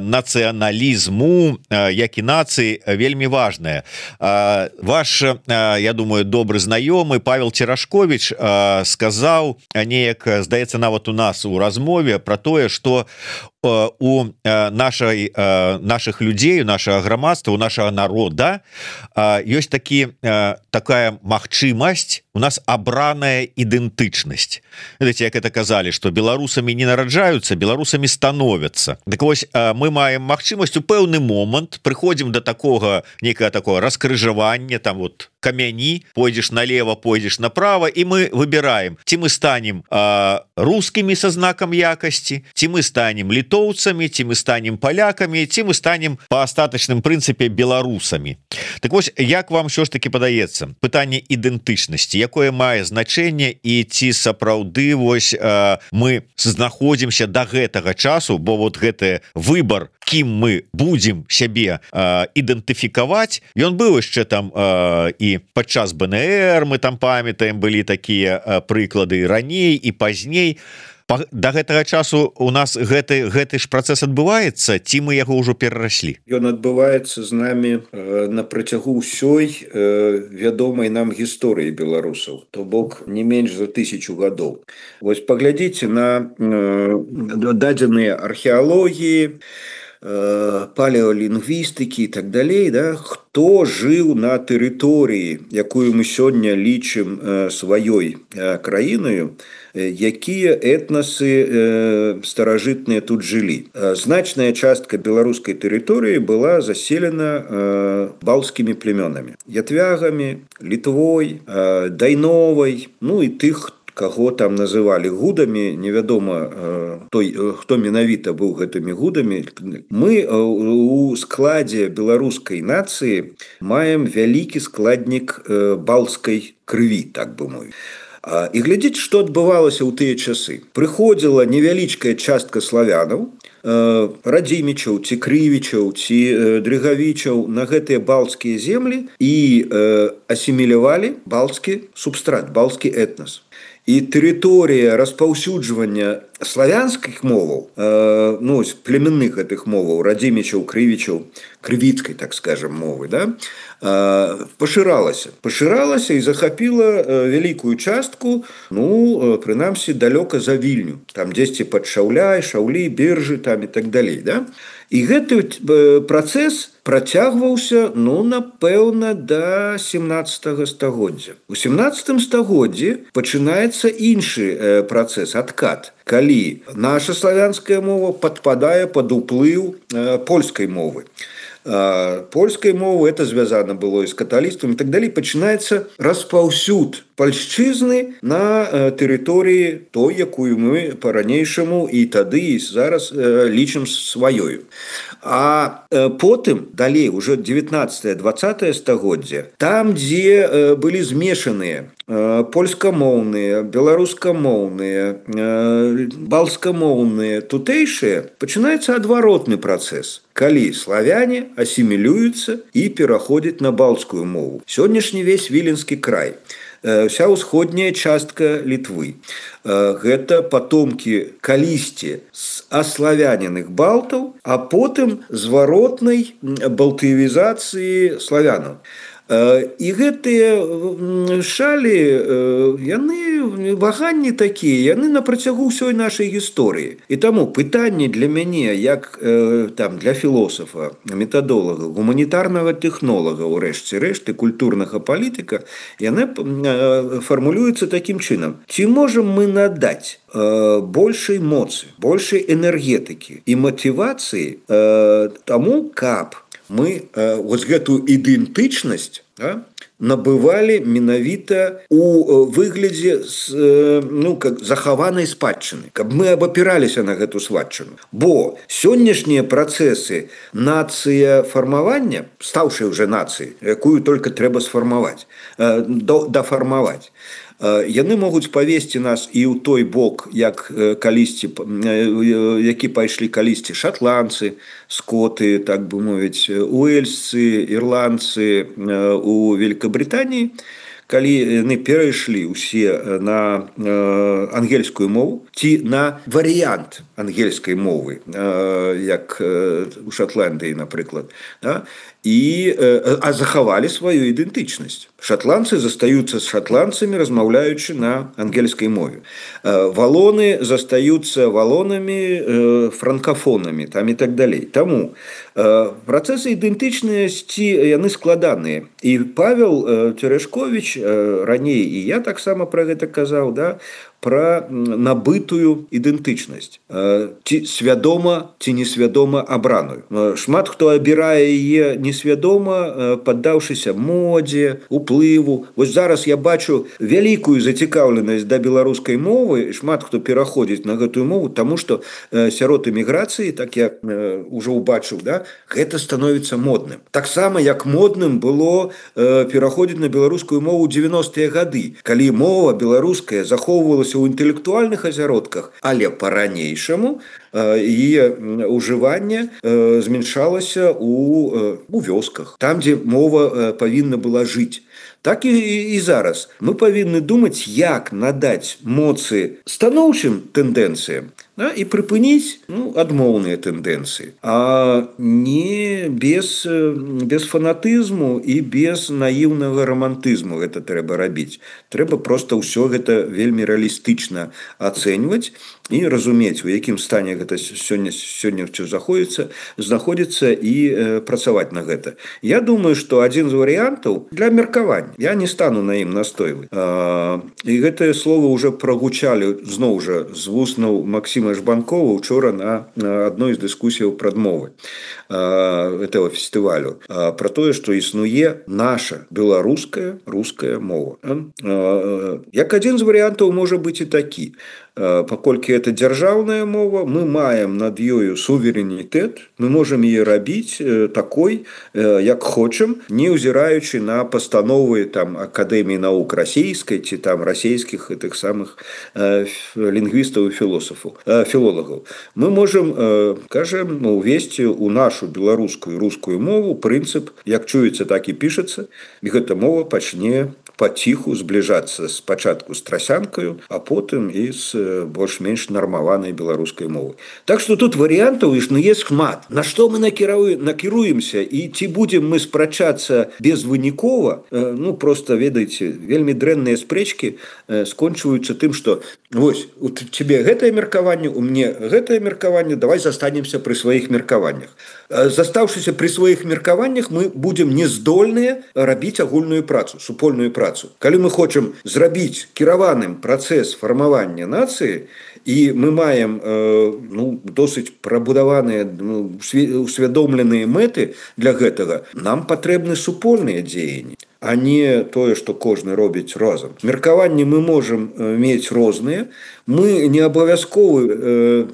нацыяналізму, як і нацыі, вельмі важнае. Ваш, я думаю, добры знаёмы Павел Церашковіч сказаў неяк, здаецца, нават у нас у размове про тое, што у нашай наших людзей, у нашага грамадства, у нашага народа ёсць такі такая магчымасць, у нас абраная ідэнтычнасць. Ведаеце, як это казалі, што беларусамі не нараджаюцца, беларусамі становяцца. Так вось мы маем магчымасць у пэўны момант прыходзім до такога некага такого раскрыжавання, там вот камяні, пойдзеш налево, пойдзеш направо, і мы выбираем, ці мы станем рускімі са знакам якасці, ці мы станем літоўцамі, ці мы станем палякамі, ці мы станем па астатачным прынцыпе беларусамі. Так вось, як вам ўсё ж таки падаецца пытанне ідэнтычнасці, якое мае значэнне, і ці сапраўды вось мы знаходзімся да гэтага часу, бо вот гэты выбор, кім мы будзем сябе ідэнтыфікаваць, ён быў яшчэ там і падчас бэ эн ер, мы там памятаем, былі такія прыклады раней і пазней. Да гэтага часу у нас гэты гэты ж працэс адбываецца, ці мы яго ўжо перараслі? Ён адбываецца з намі на працягу ўсёй вядомай нам гісторыі беларусаў, то бок не менш за тысячу гадоў. Вось паглядзіце на дадзеныя археалогіі, палеолінгвістыкі і так далей, да, хто жыў на тэрыторыі, якую мы сёння лічым сваёй краінаю, якія этнасы старажытныя тут жылі. Значная частка беларускай тэрыторыі была заселена балцкімі племёнамі, ятвягамі, літвой, дайновай, ну і тых, каго там называлі гудамі, невядома той, хто менавіта быў гэтымі гудамі. Мы у складзе беларускай нацыі маем вялікі складнік балцкай крыві, так бы мовіць. І глядзіць, што адбывалася ў тыя часы. Прыходзіла невялічкая частка славянаў, радзімічаў, ці крывічаў, ці дрыгавічаў на гэтыя балцкія землі і асімілявалі балцкі субстрат, балцкі этнас. І тэрыторыя распаўсюджвання славянскіх моваў, э, ну, племянных гэтых моваў, радзімічаў, крывічаў, крывіцкай, так скажем, мовы, да, э, пашыралася. Пашыралася і захапіла э, вялікую частку, ну, э, прынамсі, далёка за Вільню. Там дзесьці пад Шаўляй, Шаўлі, Бержы, там і так далей, да. І гэты э, працэс працягваўся, ну, напэўна, да семнаццатага стагоддзя. У семнаццатым стагоддзі пачынаецца іншы э, працэс, адкат, калі наша славянская мова падпадае пад уплыў э, польскай мовы. Э, польскай мовы, это звязана было і з каталіцтвам і так далей, пачынаецца распаўсюд пальшчызны на э, тэрыторыі той, якую мы па-ранейшаму і тады і зараз э, лічым сваёю. А э, потым, далей, уже девятнадцатае-двадцатае стагоддзе, там, дзе э, былі змешаныя э, польскамоўныя, беларускамоўныя, э, балцкамоўныя, тутэйшыя, пачынаецца адваротны працэс, калі славяне асімілююцца і пераходзяць на балцкую мову. Сённяшні весь Віленскі край, вся ўсходняя частка Літвы. Гэта патомкі калісьці з аславяненых балтаў, а потым зваротнай балтыевізацыі славянаў. І гэтыя шалі яны ваганні такія, яны на працягу ўсёй нашай гісторыі. І таму пытанне для мяне, як там для філосафа, метадолага, гуманітарнага тэхнолага, урэшце рэшты культурнага палітыка, яны фармулююцца такім чынам: ці можам мы надаць большай моцы, большай энергетыкі і матывацыі таму, каб мы вось гэтую ідэнтычнасць, да, набывалі менавіта у выглядзе ну, как захаванай спадчыны, каб мы абапіраліся на гэту спадчыну. Бо сённяшнія працэсы нацыя фармавання, стаўшы ўжо нацыяй, якую толькі трэба сфармаваць, дафармаваць, яны могуць павесці нас і ў той бок, як калісьці, які пайшлі калісьці шатландцы, скоты, так бы мовіць, уэльсцы, ірландцы у Великабрытаніі, калі яны перайшлі ўсе на ангельскую мову ці на варыянт ангельскай мовы, як у Шатландыі, напрыклад, да? І, а захавалі сваю ідэнтычнасць. Шатландцы застаюцца з шатландцамі, размаўляючы на ангельскай мове. Валоны застаюцца валонамі, франкафонамі, там і так далей. Таму працэсы ідэнтычнасці, яны складаныя. І Павел Терешкович раней, і я таксама пра гэта казаў, да, пра набытую ідэнтычнасць. Ці свядома, ці несвядома абраную. Шмат хто абірае яе несвядома, паддаўшыся модзе, уплыву. Вось зараз я бачу вялікую зацікаўленасць да беларускай мовы, шмат хто пераходзіць на гэтую мову, таму што сярод эміграцыі, так я ўжо ўбачыў, да, гэта становіцца модным. Таксама як модным было пераходзіць на беларускую мову ў дзевяностыя гады, калі мова беларуская захоўвалася ў інтэлектуальных азяродках, але па-ранейшаму яе ўжыванне змяншалася у, у вёсках, там, дзе мова павінна была жыць. Так і, і зараз мы павінны думаць, як надаць моцы станоўчым тэндэнцыям, да, і прыпыніць ну, адмоўныя тэндэнцыі, а не без, без фанатызму і без наіўнага рамантызму гэта трэба рабіць. Трэба проста ўсё гэта вельмі рэалістычна ацэньваць і разумець, у якім стане гэта сёння, сёння ўсё заходзіцца, знаходзіцца і э, працаваць на гэта. Я думаю, што адзін з варыянтаў для меркавання, я не стану на ім настойваць. І гэтыя словы ўжо прагучалі зноў жа з вуснаў Максіма Жбанкова учора на, на адной з дыскусіяў прадмовы этого фестывалю, про тое, што існуе наша беларуская руская мова. Як адзін з варыянтаў можа быць і такі. Паколькі это дзяржаўная мова, мы маем над ёю суверэнітэт, мы можам яе рабіць такой, як хочам, не ўзіраючы на пастановы там Акадэміі навук расійскай ці там расійскіх гэтых самых лінгвістаў і філосафаў, філолагаў. Мы можам, кажам, увесці ў нашу беларускую рускую мову прынцып, як чуецца, так і пішацца, і гэта мова пачне паціху збліжацца спачатку з трасянкаю, а потым і з больш-менш нармаванай беларускай мовы. Так што тут варыянтаў існуе шмат. На што мы накіруемся і ці будзем мы спрачацца безвынікова, ну проста ведаеце, вельмі дрэнныя спрэчкі скончваюцца тым, што вось у цябе гэтае меркаванне, у мне гэтае меркаванне, давай застанемся пры сваіх меркаваннях. Застаўшыся пры сваіх меркаваннях, мы будзем нездольныя рабіць агульную працу, супольную працу. Калі мы хочам зрабіць кіраваным працэс фармавання нацыі, і мы маем ну, досыць прабудаваныя ну, усвядомленыя мэты для гэтага, нам патрэбны супольныя дзеянні, а не тое, што кожны робіць разам. Меркаванні мы можам мець розныя, мы не абавязковы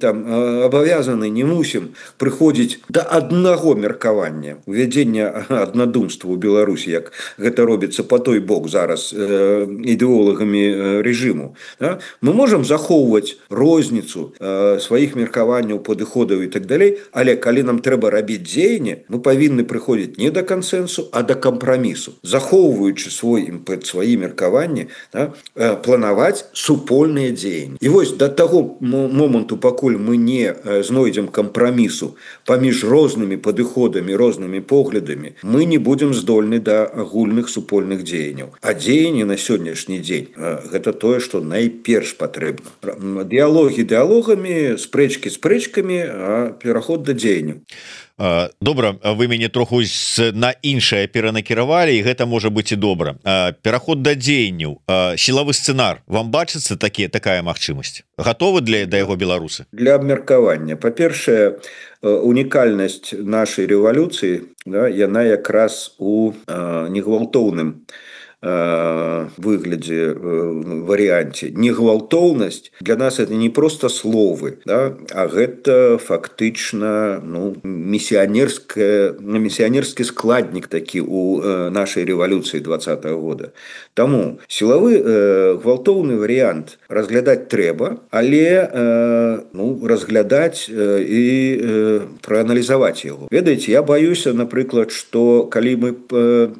там абавязаны, не мусім прыходзіць да аднаго меркавання, увядзення аднадумства ў Беларусі, як гэта робіцца па той бок зараз ідэолагамі рэжыму. Мы можам захоўваць розніцу сваіх меркаванняў, падыходаў і так далей, але калі нам трэба рабіць дзеянне, мы павінны прыходзіць не да кансэнсу, а да кампрамісу. захоўваючы свой імпэт, свае меркаванні, да, планаваць супольныя дзеянні. І вось да таго моманту, пакуль мы не знойдзем кампрамісу паміж рознымі падыходамі, рознымі поглядамі, мы не будзем здольны да агульных супольных дзеянняў. А дзеянні на сённяшні дзень гэта тое, што найперш патрэбна. Дыялогі дыялогамі, спрэчкі спрэчкамі, а пераход да дзеянняў. Добра, вы мяне троху на іншае перанакіравалі, і гэта можа быць і добра. Пераход да дзеянняў, сілавы сцэнар, вам бачыцца такі, такая магчымасць? Гатовы для да яго беларусы? Для абмеркавання. Па-першае, унікальнасць нашай рэвалюцыі, да, яна якраз у негвалтоўным выглядзе, варыянце. Негвалтоўнасць для нас это не просто словы, да, а гэта фактычна, ну, місіянерская, місіянерскі складнік такі у нашай рэвалюцыі двадцатага года. Таму сілавы гвалтоўны варыянт разглядаць трэба, але ну, разглядаць і прааналізаваць яго. Ведаеце, я баюся, напрыклад, што калі мы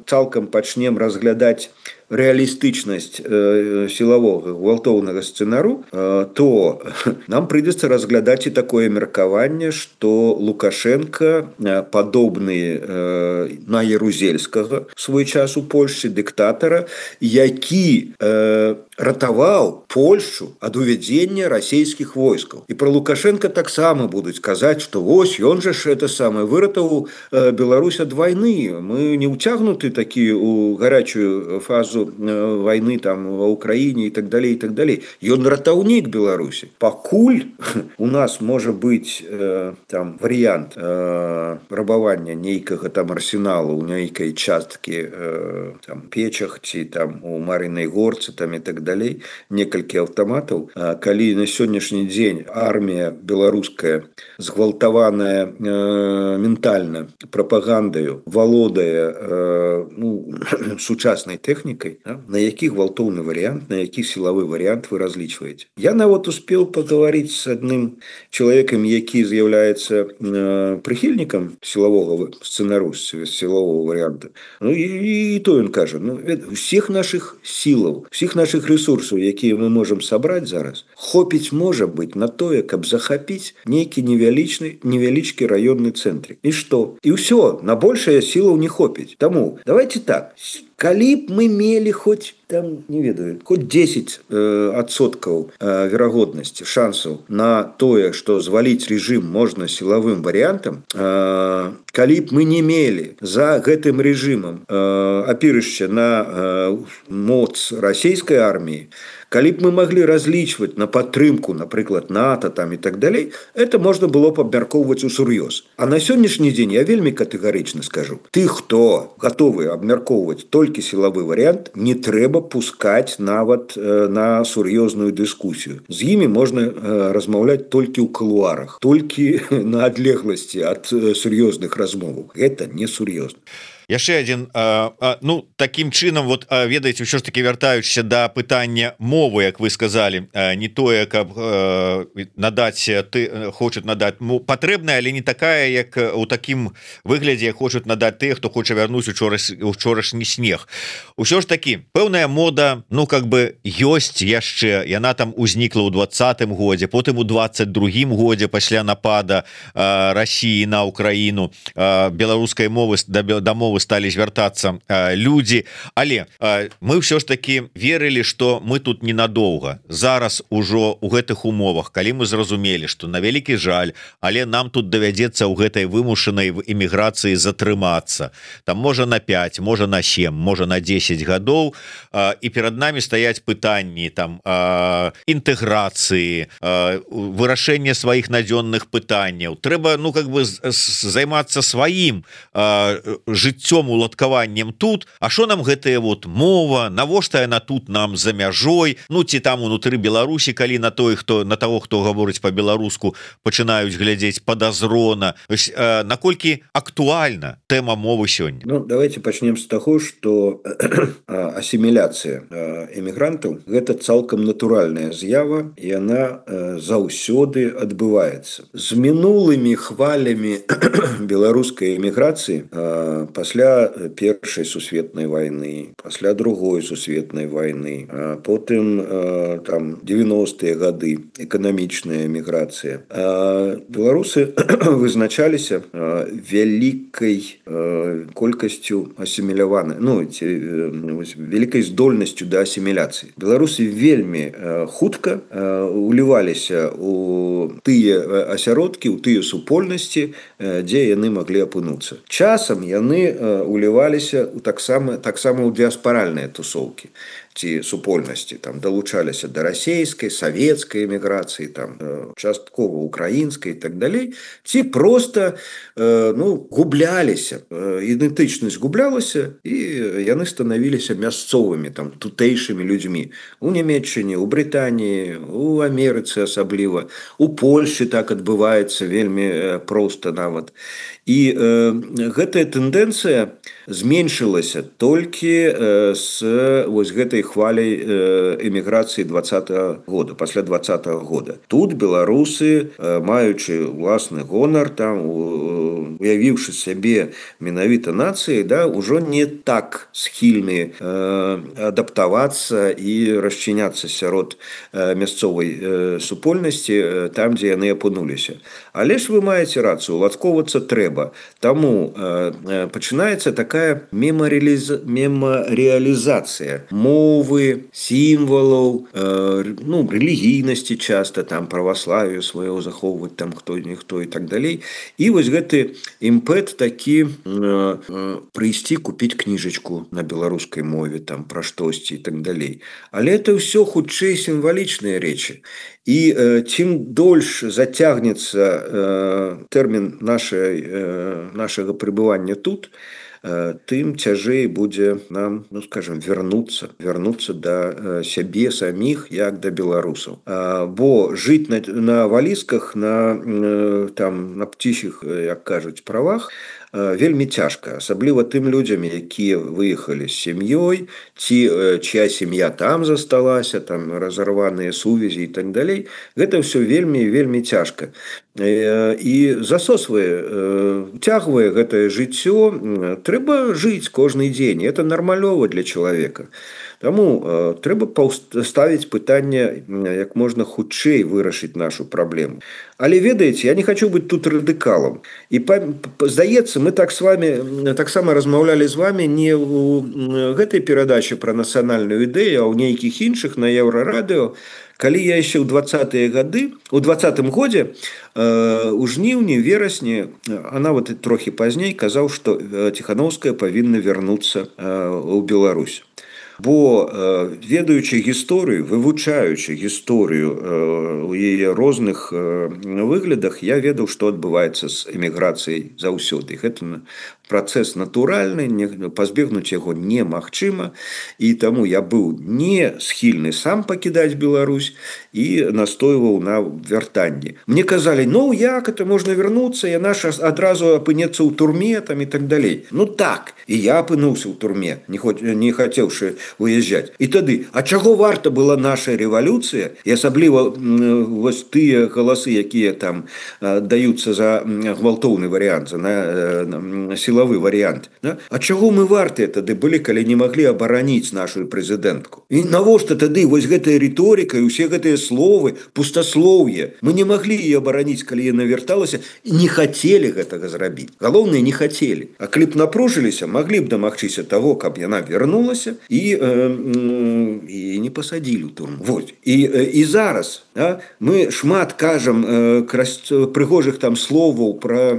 цалкам пачнем разглядаць рэалістычнасць э, сілавога гвалтоўнага сцэнару, э, то нам прыйдзецца разглядаць і такое меркаванне, што Лукашенко э, падобны э, на Ярузельскага свой час у Польшчы дыктатара, які э, ратаваў Польшчу ад увядзення расійскіх войскаў. І пра Лукашенко таксама будуць казаць, што вось ён жа ж это самае выратаваў э, Беларусь ад вайны. Мы не ўцягнуты такі у гарячую фазу войны там ва Украіне і так далей і так далей. Ён ратаўнік Беларусі. Пакуль у нас можа быць э, там варыянт э, рабавання нейкага там арсеналу ў нейкай часткі э, там печах ці там у Марынай горцы там і так далей, некалькі аўтаматаў. А калі на сённяшні дзень армія беларуская згвалтаваная э, ментальна прапагандаю валодае э, ну, сучаснай тэхнікай, на які гвалтоўны варыянт, на які сілавы варыянт вы разлічваеце. Я нават успел паговорить с адным чалавекам, які з'яўляецца э, прыхільнікам сілавога сцэнару, сілавого варыянта. Ну і, і то ён кажа, ну, усіх наших сілаў, усіх наших ресурсаў, якія мы можам сабраць зараз, хопіць можа быць на тое, каб захапіць нейкі невялічны, невялічкі раённы цэнтрик. І што? І ўсё, на большае сілаў не хопіць. Таму, давайте так, калі б мы мелі хоць там, не ведаю, хоць дзесяць адсоткаў э, верагоднасці, шансаў на тое, што зваліць рэжым можна сілавым варыянтам, э, калі б мы не мелі за гэтым рэжымам э, апірышча на э, моц расійскай арміі, калі б мы маглі разлічваць на падтрымку, напрыклад, НАТО там і так далей, это можна было б абмяркоўваць усур'ёз. А на сённяшні дзень я вельмі катэгарычна скажу, ты, хто гатовы абмяркоўваць толькі сілавы варыянт, не трэба пускаць нават э, на сур'ёзную дыскусію. З імі можна э, размаўляць толькі ў кулуарах, толькі на адлегласці ад э, сур'ёзных размоваў. Гэта не сур'ёзна. Яшчэ один, а, а, ну таким чынам, вот а, ведаеце, ўсё ж таки вяртаючыся да пытання мовы, як вы сказали, а, не тое, каб а, надаць ты хочуць надаць патрэбная, але не такая, як у такім выглядзе хочуць надаць тыя, хто хоча вярнуць учора учорашні снег. Усё ж таки пэўная мода, ну как бы ёсць яшчэ, яна там узнікла ў двадцатым годзе, потым у двадцать другім годзе пасля напада а, Расіі на Украіну, а, беларускай мовы да, да мовы стали звяртацца э, людзі, але э, мы ўсё ж таки верылі, што мы тут ненадоўга. Зараз ужо у гэтых умовах, калі мы зразумелі, што на вялікі жаль, але нам тут давядзецца ў гэтай вымушанай эміграцыі затрымацца, там можа на пять, можа на семь, можа на десять гадоў, э, і перад намі стаяць пытанні там э, інтэграцыі, э, вырашэння сваіх надзённых пытанняў. Трэба, ну как бы займацца сваім э, жыццём, уладкаваннем тут. А що нам гэтая вот мова, навошта яна тут нам за мяжой, ну ці там унутры Беларусі, калі на той, хто на того, хто гаворыць по-беларуску, пачынаюць глядзець падазрона. Э, наколькі актуальна тэма мовы сёння? Ну, давайте пачнем з таго, што асіміляцыя эмігрантаў гэта цалкам натуральная з'ява, і яна э, заўсёды адбываецца. З мінулымі хвалямі беларускай эміграцыі э, пасля пасля першай сусветнай вайны, пасля другой сусветнай вайны, а потым э, там девяностыя гады эканамічная эміграцыя. А беларусы вызначаліся э, вялікай э, колькасцю асіміляваны, ну, ці, э, вялікай здольнасцю да асіміляцыі. Беларусы вельмі э, хутка э, уліваліся у тыя асяродкі, у тыя супольнасці, э, дзе яны маглі апынуцца. Часам яны э, уліваліся у таксама таксама ў дыаспаральныя тусоўкі ці супольнасці, там далучаліся да расейскай, савецкай эміграцыі, там часткова украінскай і так далей, ці проста э, ну, губляліся, ідэнтычнасць гублялася, і яны станавіліся мясцовымі, там тутэйшымі людзьмі у Нямецчыне, у Брытаніі, у Амерыцы асабліва, у Польшчы так адбываецца вельмі проста нават. І э, гэтая тэндэнцыя зменшылася толькі э, з вось гэтай хваляй э, эміграцыі двадцатага года, пасля двадцатага года. Тут беларусы, э, маючы ўласны гонар, там, уявіўшы сябе менавіта нацыяй, да, ужо не так схільны э, адаптавацца і расчыняцца сярод э, мясцовай э, супольнасці, э, там, дзе яны апынуліся. Але ж вы маеце рацыю, уладкоўвацца трэба. Таму э, пачынаецца такая мемарыялізацыя мовы, сімвалаў, э, ну, рэлігійнасці часта, там, праваславію сваё захоўваць, там, хто-ніхто і так далей. І вось гэты імпэт такі э, э, прыйсці купіць кніжачку на беларускай мове, там, пра штосьці і так далей. Але это ўсё хутчэй сімвалічныя рэчы. І э, чым дольш зацягнецца э, тэрмін нашай, э, нашага пребывання тут, э, тым цяжэй будзе нам, ну, скажем, вярнуцца, вярнуцца да э, сябе саміх, як да беларусаў. А, бо жыць на, на валізках, на, э, там, на птічых, як кажуць, правах, вельмі цяжка, асабліва тым людзям, якія выехалі з сям'ёй, ці чья сям'я там засталася, там разарваныя сувязі і так далей. Гэта ўсё вельмі вельмі цяжка. І засосвае, уцягвае гэтае жыццё. Трэба жыць кожны дзень. Это нармалёва для чалавека. Таму э, трэба ставіць пытанне, як можна хутчэй вырашыць нашу праблему. Але ведаеце, я не хочу быць тут радыкалам. І здаецца, мы так с вами таксама размаўлялі з вами не ў гэтай перадачы пра нацыянальную ідэю, а ў нейкіх іншых на Еўрарадыё. Калі я яшчэ ў двадцатыя гады, у двадцатым годзе, э, у жніўні, верасні, а нават і трохі пазней казаў, што Ціханаўская павінна вярнуцца э, ў Беларусь. Бо э, ведаючы гісторыю, вывучаючы гісторыю э, у яе розных э, выглядах, я ведаў, што адбываецца з эміграцыяй заўсёды. Гэта працэс натуральны, не, пазбегнуць яго немагчыма, і таму я быў не схільны сам пакідаць Беларусь і настойваў на вяртанні. Мне казалі, ну як это можна вярнуцца, яна ж адразу апынецца ў турме, там і так далей. Ну так, і я апынуўся ў турме, не, не хацеўшы уязджаць. І тады, а чаго варта была наша рэвалюцыя, і асабліва вось тыя галасы, якія там даюцца за гвалтоўны варыянт, за на сілавы варыянт. Да? А чаго мы вартыя тады былі, калі не маглі абараніць нашу прэзідэнтку? І навошта тады вось гэтая рыторыка і ўсе гэтыя словы, пустаслоўе? Мы не маглі яе абараніць, калі яна вярталася, і не хацелі гэтага зрабіць. Галоўнае, не хацелі. А калі б напружыліся, маглі б дамагчыся таго, каб яна вярнулася і і не пасадзілі ў турму. Вот. І, і зараз а, мы шмат кажам прыгожых там словаў пра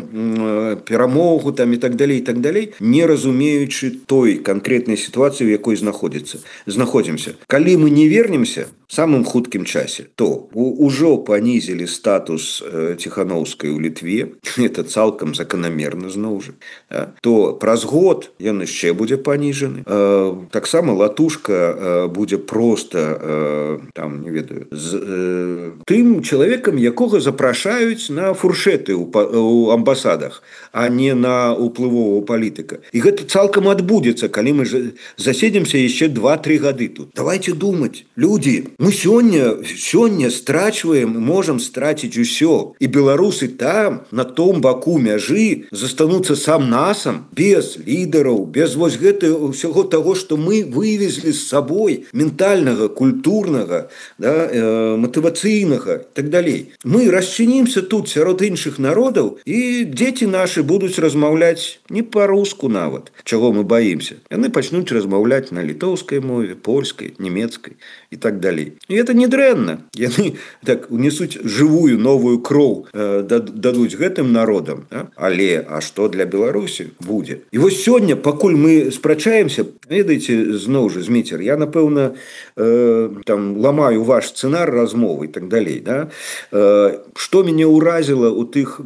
перамогу там і так далей, і так далей, не разумеючы той канкрэтнай сітуацыі, у якой знаходзіцца. знаходзімся. Калі мы не вернемся самым хуткім часе, то ўжо панізілі статус Ціханаўскай у Літве, это цалкам заканамерна зноў жа, а, то праз год ён яшчэ будзе паніжаны. А, таксама латушка будзе проста там, не ведаю, з э, тым чалавекам, якога запрашаюць на фуршэты ў амбасадах, а не на уплывового палітыка. І гэта цалкам адбудзецца, калі мы заседзімся яшчэ два-тры гады тут. Давайте думаць, людзі, мы сёння сёння страчваем, можам страціць усё, і беларусы там на том баку мяжы застануцца сам насам, без лідараў, без вось гэта ўсяго таго, што мы вывезлі з сабой ментальнага, культурнага, да, э, матывацыйнага, так далей. Мы расчынимся тут сярод іншых народаў, і дзеці нашы будуць размаўляць не па-руску нават, чаго мы баімся. Яны пачнуць размаўляць на літоўскай мове, польскай, нямецкай і так далей. І это не дрэнна. Яны так унесуць жывую новую кроў, э, дадуць гэтым народам. Да? Але а што для Беларусі будзе? І вось сёння, пакуль мы спрачаемся, ведаеце, зноў жа, Зміцер, я, напэўна, э, там ламаю ваш сцэнар размовы і так далей. Да? Э, што мяне ўразіла ў тых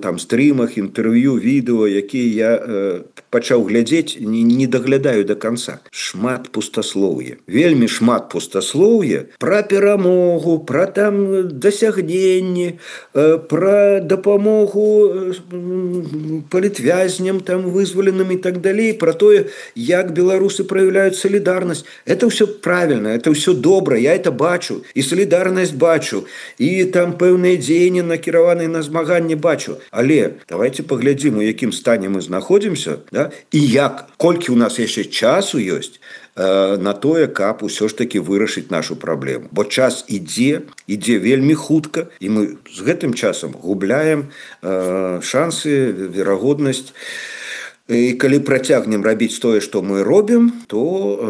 там стрімах, інтэрв'ю, відэо, якія я э, пачаў глядзець, не, не даглядаю до конца. Шмат пустаслоўя. Вельмі шмат пустаслоўя пра перамогу, пра там дасягненні, э, пра дапамогу палітвязням там вызваленым і так далей, пра тое, як беларусы праяўляюць салідарнасць. Это ўсё правильно, это ўсё добра, я это бачу, і салідарнасць бачу, і там пэўныя дзеянні накіраваныя на змаганне бачу. Але давайте паглядзім, у якім стане мы знаходзімся, да? І як, колькі ў нас яшчэ часу ёсць э, на тое, каб усё ж таки вырашыць нашу праблему. Бо час ідзе, ідзе вельмі хутка, і мы з гэтым часам губляем э, шансы, верагоднасць. І калі працягнем рабіць тое, што мы робім, то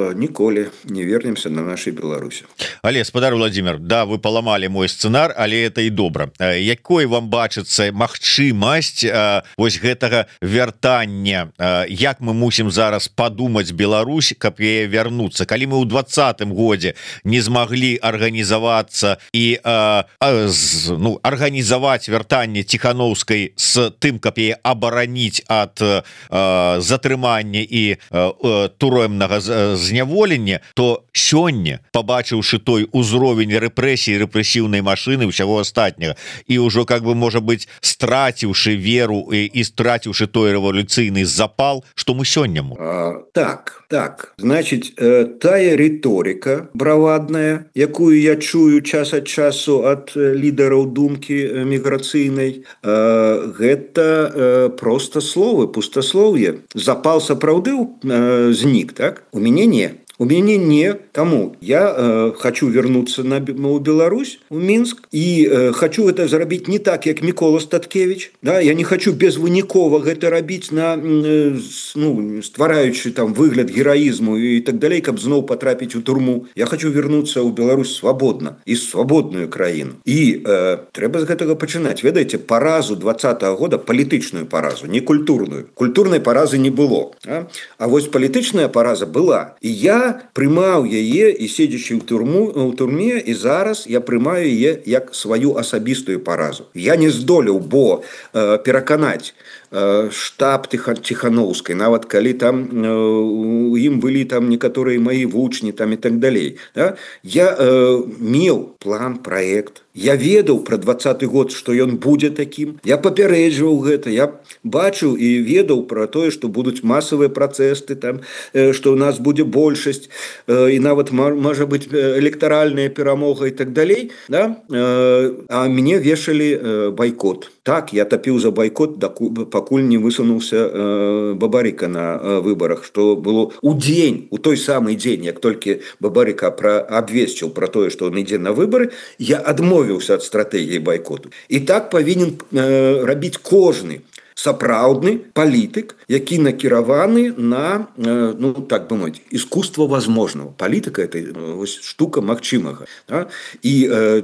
э, ніколі не вернемся на нашай Беларусі. Але, спадар Владимир, да, вы паламалі мой сцэнар, але это і добра. Э, якой вам бачыцца магчымасць э, вось гэтага вяртання? Э, як мы мусім зараз падумаць Беларусь, каб яе вярнуцца? Калі мы ў двадцатым годзе не змаглі арганізавацца і э, э, з, ну, арганізаваць вяртанне Ціхановскай з тым, каб яе абараніць ад э, затрымання і э, турэмнага зняволення, то сёння, пабачыўшы той узровень рэпрэсій, рэпрэсіўнай машыны, ўсяго астатняга, і ўжо, как бы, можа быць, страціўшы веру і, і страціўшы той рэвалюцыйны запал, што мы сёння можем. А, так, так. Значыць, э, тая рыторыка бравадная, якую я чую час ад часу ад лідараў думкі міграцыйнай, э, гэта э, проста словы, пустаслоўе. Запал сапраўды э, знік, так? У мяне не. У мяне не. Таму я э, хочу вернуться на, на Беларусь, у Мінск, і э, хочу это зрабіць не так, як Мікола Статкевич. Да? Я не хочу безвынікова гэта рабіць, на, э, ну, ствараючы там выгляд гераізму і так далей, каб зноў потрапіць у турму. Я хочу вернуться ў Беларусь свабодна і свабодную краіну. І э, трэба з гэтага пачынаць. Ведаеце, паразу двадцатага года, палітычную паразу, не культурную. Культурнай паразы не было. А, а вось палітычная параза была. І я прымаў яе і седзячы ў турму, ў турме, і зараз я прымаю яе як сваю асабістую паразу. Я не здолеў, бо э, пераканаць э, штаб Ціхановскай, нават калі там э, у ім былі там некаторыя маі вучні там і так далей. Да? Я э, меў план, праект. Я ведаў пра двадцаты год, што ён будзе такім. Я папярэджваў гэта. Я бачыў і ведаў пра тое, што будуць масавыя працэсты, там, што ў нас будзе большасць, і нават можа быць электаральная перамога і так далей. Да? А мяне вешалі байкот. Так, я тапіў за байкот, пакуль не высунуўся Бабарыка на выбарах, што было ў дзень, у той самы дзень, як толькі Бабарыка абвесціў пра тое, што ён ідзе на выбары, я адмовіўся ад стратэгіі байкоту. І так павінен э, рабіць кожны сапраўдны палітык, які накіраваны на, э, ну, так бы мовіць, искусство возможного. Палітыка – это э, штука магчымага. Да? І э,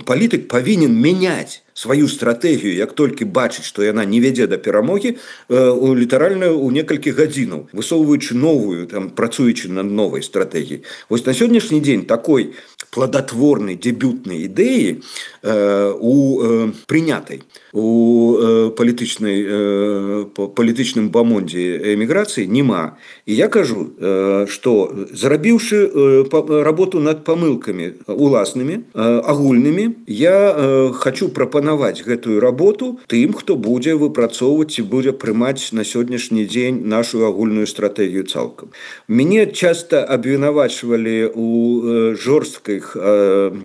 палітык павінен мяняць сваю стратэгію, як толькі бачыць, што яна не вядзе да перамогі, э, літаральна ў некалькі гадзінаў, высоўваючы новую, там, працуючы над новай стратэгіяй. Вось на сённяшні дзень такой плодотворнай дэбютнай ідэі э, у э, прынятай у э, палітычнай э, палітычным бамондзе эміграцыі няма. І я кажу, э, што зарабіўшы э, работу над памылкамі уласнымі, э, агульнымі, я э, хочу прапанаваць прапанаваць гэтую работу тым, хто будзе выпрацоўваць і будзе прымаць на сённяшні дзень нашу агульную стратэгію цалкам. Мяне часта абвінавачвалі у жорсткіх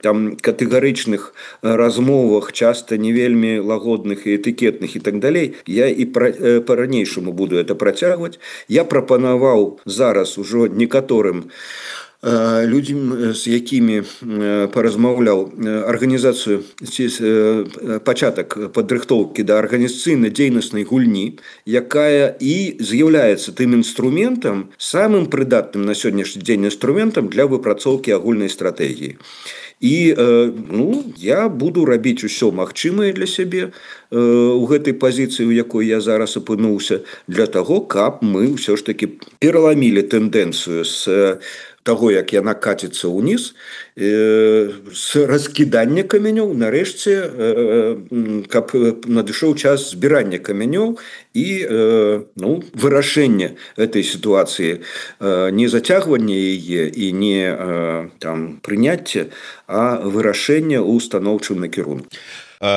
там катэгарычных размовах, часта не вельмі лагодных і этыкетных і так далей. Я і па-ранейшаму буду это працягваць. Я прапанаваў зараз ужо некаторым людзям, з якімі паразмаўляў, арганізацыю пачатак падрыхтоўкі да арганізацыйна-дзейнаснай гульні, якая і з'яўляецца тым інструментам, самым прыдатным на сённяшні дзень інструментам для выпрацоўкі агульнай стратэгіі. І ну, я буду рабіць усё магчымае для сябе у гэтай пазіцыі, у якой я зараз апынуўся, для таго, каб мы ўсё ж такі пераламілі тэндэнцыю з таго, як яна каціцца ўніз, з раскідання камянёў, нарэшце, каб надышоў час збірання камянёў і ну, вырашэння этой сітуацыі, не зацягвання яе і не там прыняцце, а вырашэння ў станоўчым накірунку.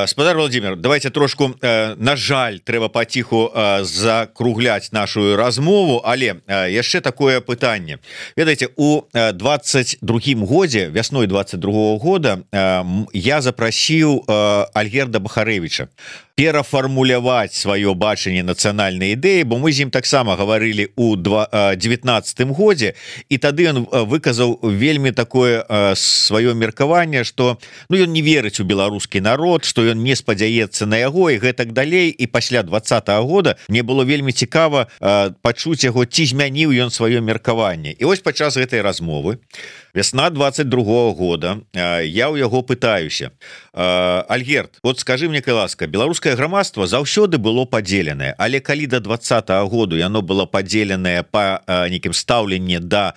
Спадар Владимир, давайте трошку, на жаль, трэба паціху закругляць нашу размову, але яшчэ такое пытанне. Ведаеце, у двадцать другім годзе, вясной двадцать другого года, я запрасіў Альгерда Бахарэвіча перафармуляваць сваё бачанне нацыянальнай ідэі, бо мы з ім таксама гаварылі у девятнаццатым годзе, і тады ён выказаў вельмі такое сваё меркаванне, што ну, ён не верыць у беларускі народ, што ён не спадзяецца на яго і гэтак далей. І пасля двадцатага года мне было вельмі цікава пачуць яго, ці змяніў ён сваё меркаванне. І вось падчас гэтай размовы вясна двадцать другого года я ў яго пытаюся: Альгерд, вот скажи мне, калі ласка, беларускае грамадства заўсёды было падзеленае, але калі да двадцатага году яно было падзеленае па нейкім стаўленні да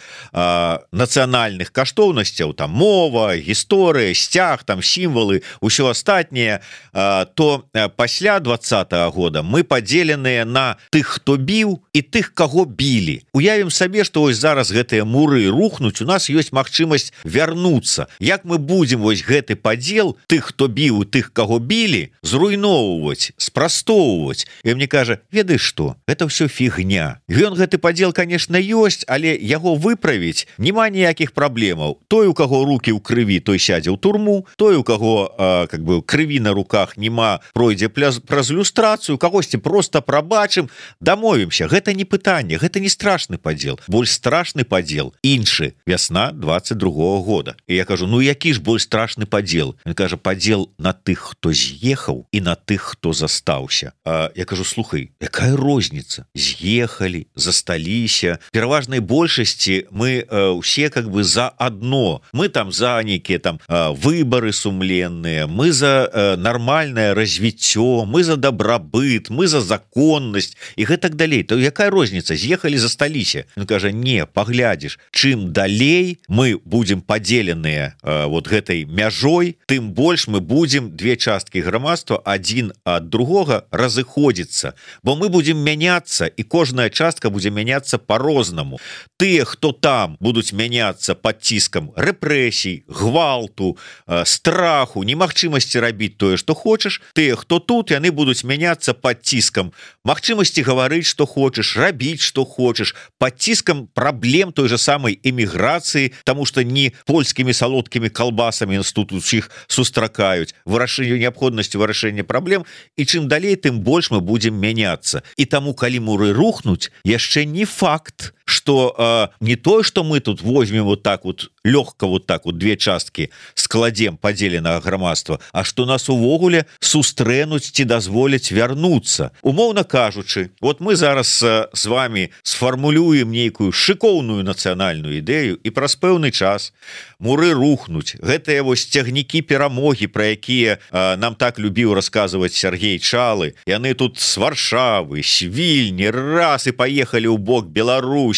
нацыянальных каштоўнасцяў, там мова, гісторыя, сцяг, там сімвалы, усё астатняе, то пасля двадцатага года мы падзеленыя на тых, хто біў, і тых, каго білі. Уявім сабе, што вось зараз гэтыя муры рухнуць, у нас ёсць магчымасць вярнуцца. Як мы будзем вось гэты падзел тых, хто біў, тых, каго білі, зруйноўваць, спрастоўваць? І мне кажа: ведаеш што, гэта ўсё фігня. Ён гэты падзел, конечно, ёсць, але яго выправіць няма ніякіх праблемаў. Той, у каго рукі ў крыві, той сядзе ў турму, той, у каго э, как бы крыві на руках няма, пройдзе праз люстрацыю, кагосьці просто прабачым, дамовімся. Гэта не пытанне, гэта не страшны падзел. Больш страшны падзел іншы. Вясна двадцать другого года. І я кажу: ну які ж больш страшны падзел? Ён кажа: падзел на тых, хто з'ехаў, і на тых, хто застаўся. А я кажу: слухай, якая розніца? З'ехалі, засталіся. Пераважнай большасці мы э, усе как бы за одно. Мы там за нейкія там э, выбары сумленныя, мы за э, нармальнае развіццё, мы за дабрабыт, мы за законнасць і гэтак далей. То якая розніца? З'ехалі, засталіся. Ён кажа: не, паглядзіш, чым далей мы будем падзеленыя э, вот гэтай мяжой, тым больш мы будем две часткі грамадства адзін ад другога разыходзіцца, бо мы будем мяняцца, і кожная частка будзе мяняцца по-рознаму. Тыя, хто там, будуць мяняцца пад ціскам рэпрэсій, гвалту, э, страху, немагчымасці рабіць тое, што хочаш. Тыя, хто тут, яны будуць мяняцца пад ціскам магчымасці гаварыць, што хочаш, рабіць, што хочаш, пад ціскам праблем той же самай эміграцыі, таму што не польскімі салодкімі калбасамі нас тут усіх сустракаюць, вырашэнню неабходнасці вырашэння праблем. І чым далей, тым больш мы будзем мяняцца. І таму, калі муры рухнуць, яшчэ не факт, что э, не то, что мы тут возьмем вот так вот легко вот так вот две часткі складзем падзеленага грамадства, а что нас увогуле сустрэнуць ці дазволяць вярнуцца. Умоўна кажучы, вот мы зараз э, с вами сфармулюем нейкую шыкоўную нацыянальную ідэю, і праз пэўны час муры рухнуць. Гэтыя вось цягнікі перамогі, пра якія э, нам так любіў расказваць Сергей Чалы, яны тут з Варшавы, з Вільні раз і паехалі ў бок Беларусі.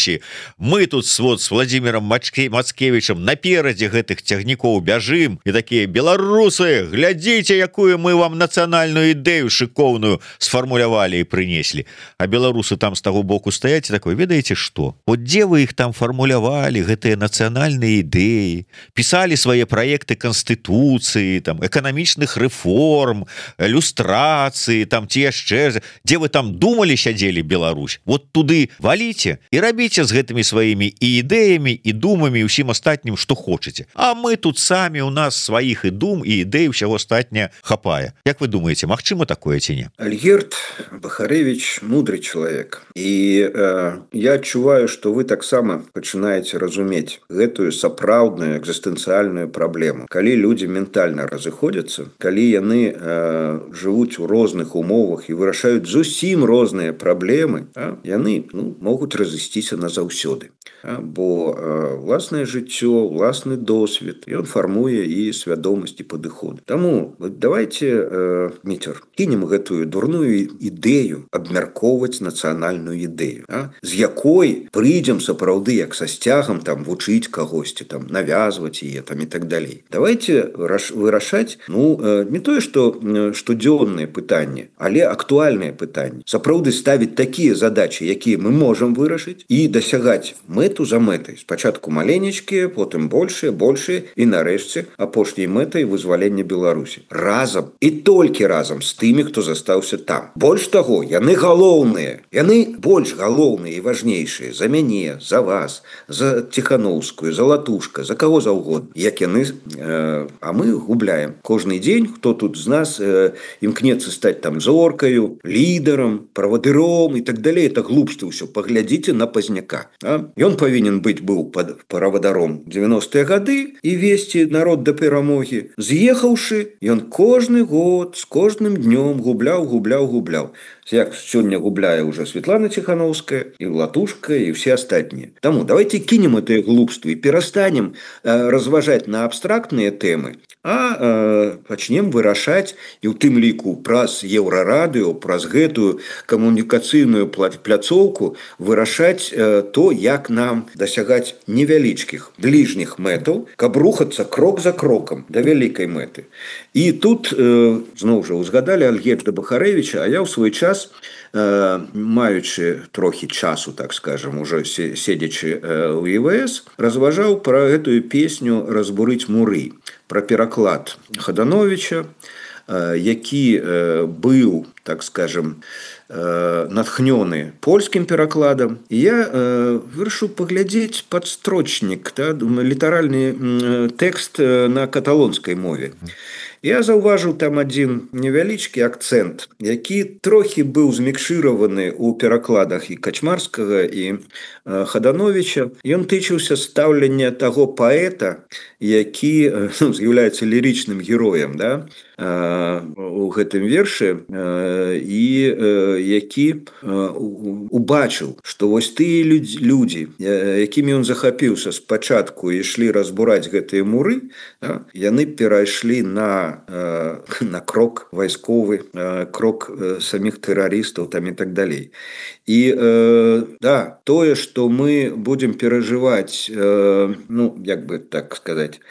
Мы тут вот с Владимиром Мацкевичем наперадзе гэтых цягнікоў бяжым і такія: беларусы, глядзіце, якую мы вам нацыянальную ідэю шыкоўную сфармулявалі і прынеслі. А беларусы там з таго боку стаяць і такой: ведаеце што, вот дзе вы іх там фармулявалі, гэтыя нацыянальныя ідэі, писали свае праекты канстытуцыі, там эканамічных рэформ, люстрацыі, там ці яшчэ, дзе вы там думалі, сядзелі Беларусь, вот туды валіце і рабіце з гэтымі сваімі і ідэямі і думамі усім астатнім, што хочаце. А мы тут самі, у нас сваіх і дум і ідэй усяго астатняе хапае. Як вы думаеце, магчыма такое ці не? Альгерд Бахарэвич мудрый чалавек. І э, я адчуваю, што вы таксама пачынаеце разумець гэтую сапраўдную экзістэнцыяльную праблему. Калі людзі ментальна разыходзяцца, калі яны э, жывуць у розных умовах і вырашаюць зусім розныя праблемы, а, яны ну, могуць разысціся назаўсёды. А, бо э, власнае жыццё, власны досвед, ён фармуе і свядомасць і падыход. Таму давайте, э, Міцер, кінем гэтую дурную ідэю абмяркоўваць нацыянальную ідэю, а, з якой прыйдзем сапраўды як са сцягам там вучыць кагосьці, там навязваць яе там і так далей. Давайте вырашаць ну э, не тое, што э, штодзённыя пытанні, але актуальныя пытанні. Сапраўды ставіць такія задачы, якія мы можам вырашыць і дасягаць мэту за мэтай. Спачатку маленечкія, потым большыя, большыя і нарэшце апошняй мэтай вызвалення Беларусі. Разам і толькі разам з тымі, хто застаўся там. Больш таго, яны галоўныя. Яны больш галоўныя і важнейшыя за мяне, за вас, за Ціхановскую, за Латушка, за каго заўгодна. Як яны, э, а мы губляем. Кожны дзень, хто тут з нас э, імкнецца стаць там зоркаю, лідарам, правадыром і так далей. Это глупства ўсё. Паглядзіце на Пазняка. А? Ён павінен быць быў правадаром дзевяностыя гады і весці народ да перамогі. З'ехаўшы, ён кожны год з кожным днём губляў, губляў, губляў. Як сёння губляе уже Светлана Ціхановская і Латушка і все астатнія. Таму давайте кінем гэтыя глупствы і перастанем э, разважаць на абстрактныя тэмы, а э, пачнем вырашаць і ў тым ліку праз Еўрарадыё, праз гэтую камунікацыйную пляцоўку вырашаць э, то, як нам дасягаць невялічкіх бліжніх мэтаў, каб рухацца крок за крокам да вялікай мэты. І тут э, зноў жа узгадалі Альгерда Бахарэвіча, а я ў свой час Э, маючы трохі часу, так скажем, уже седзячы э, у Е Вэ Эс, разважаў пра гэтую песню «Разбурыць муры», пра пераклад Хадановича, э, які э, быў, так скажем, э, натхнёны польскім перакладам. І я э, вырашыў паглядзець падстрочнік, та, літаральны э, тэкст э, на каталонскай мове. Я заўважыў там адзін невялічкі акцэнт, які трохі быў змікшыраваны ў перакладах і Качмарскага, і э, Хадановича. Ён тычыўся стаўлення таго паэта, які ну, з'яўляецца лірычным героем, да, э, у гэтым вершы, э, і э, які э, убачыў, што вось тыя людзі, людзі э, якімі ён захапіўся спачатку і ішлі разбураць гэтыя муры, да, яны перайшлі на на крок вайсковы, крок самих тэрарыстаў там і так далей. І э, да, тое, што мы будзем перажываць, э, ну, як бы так сказаць,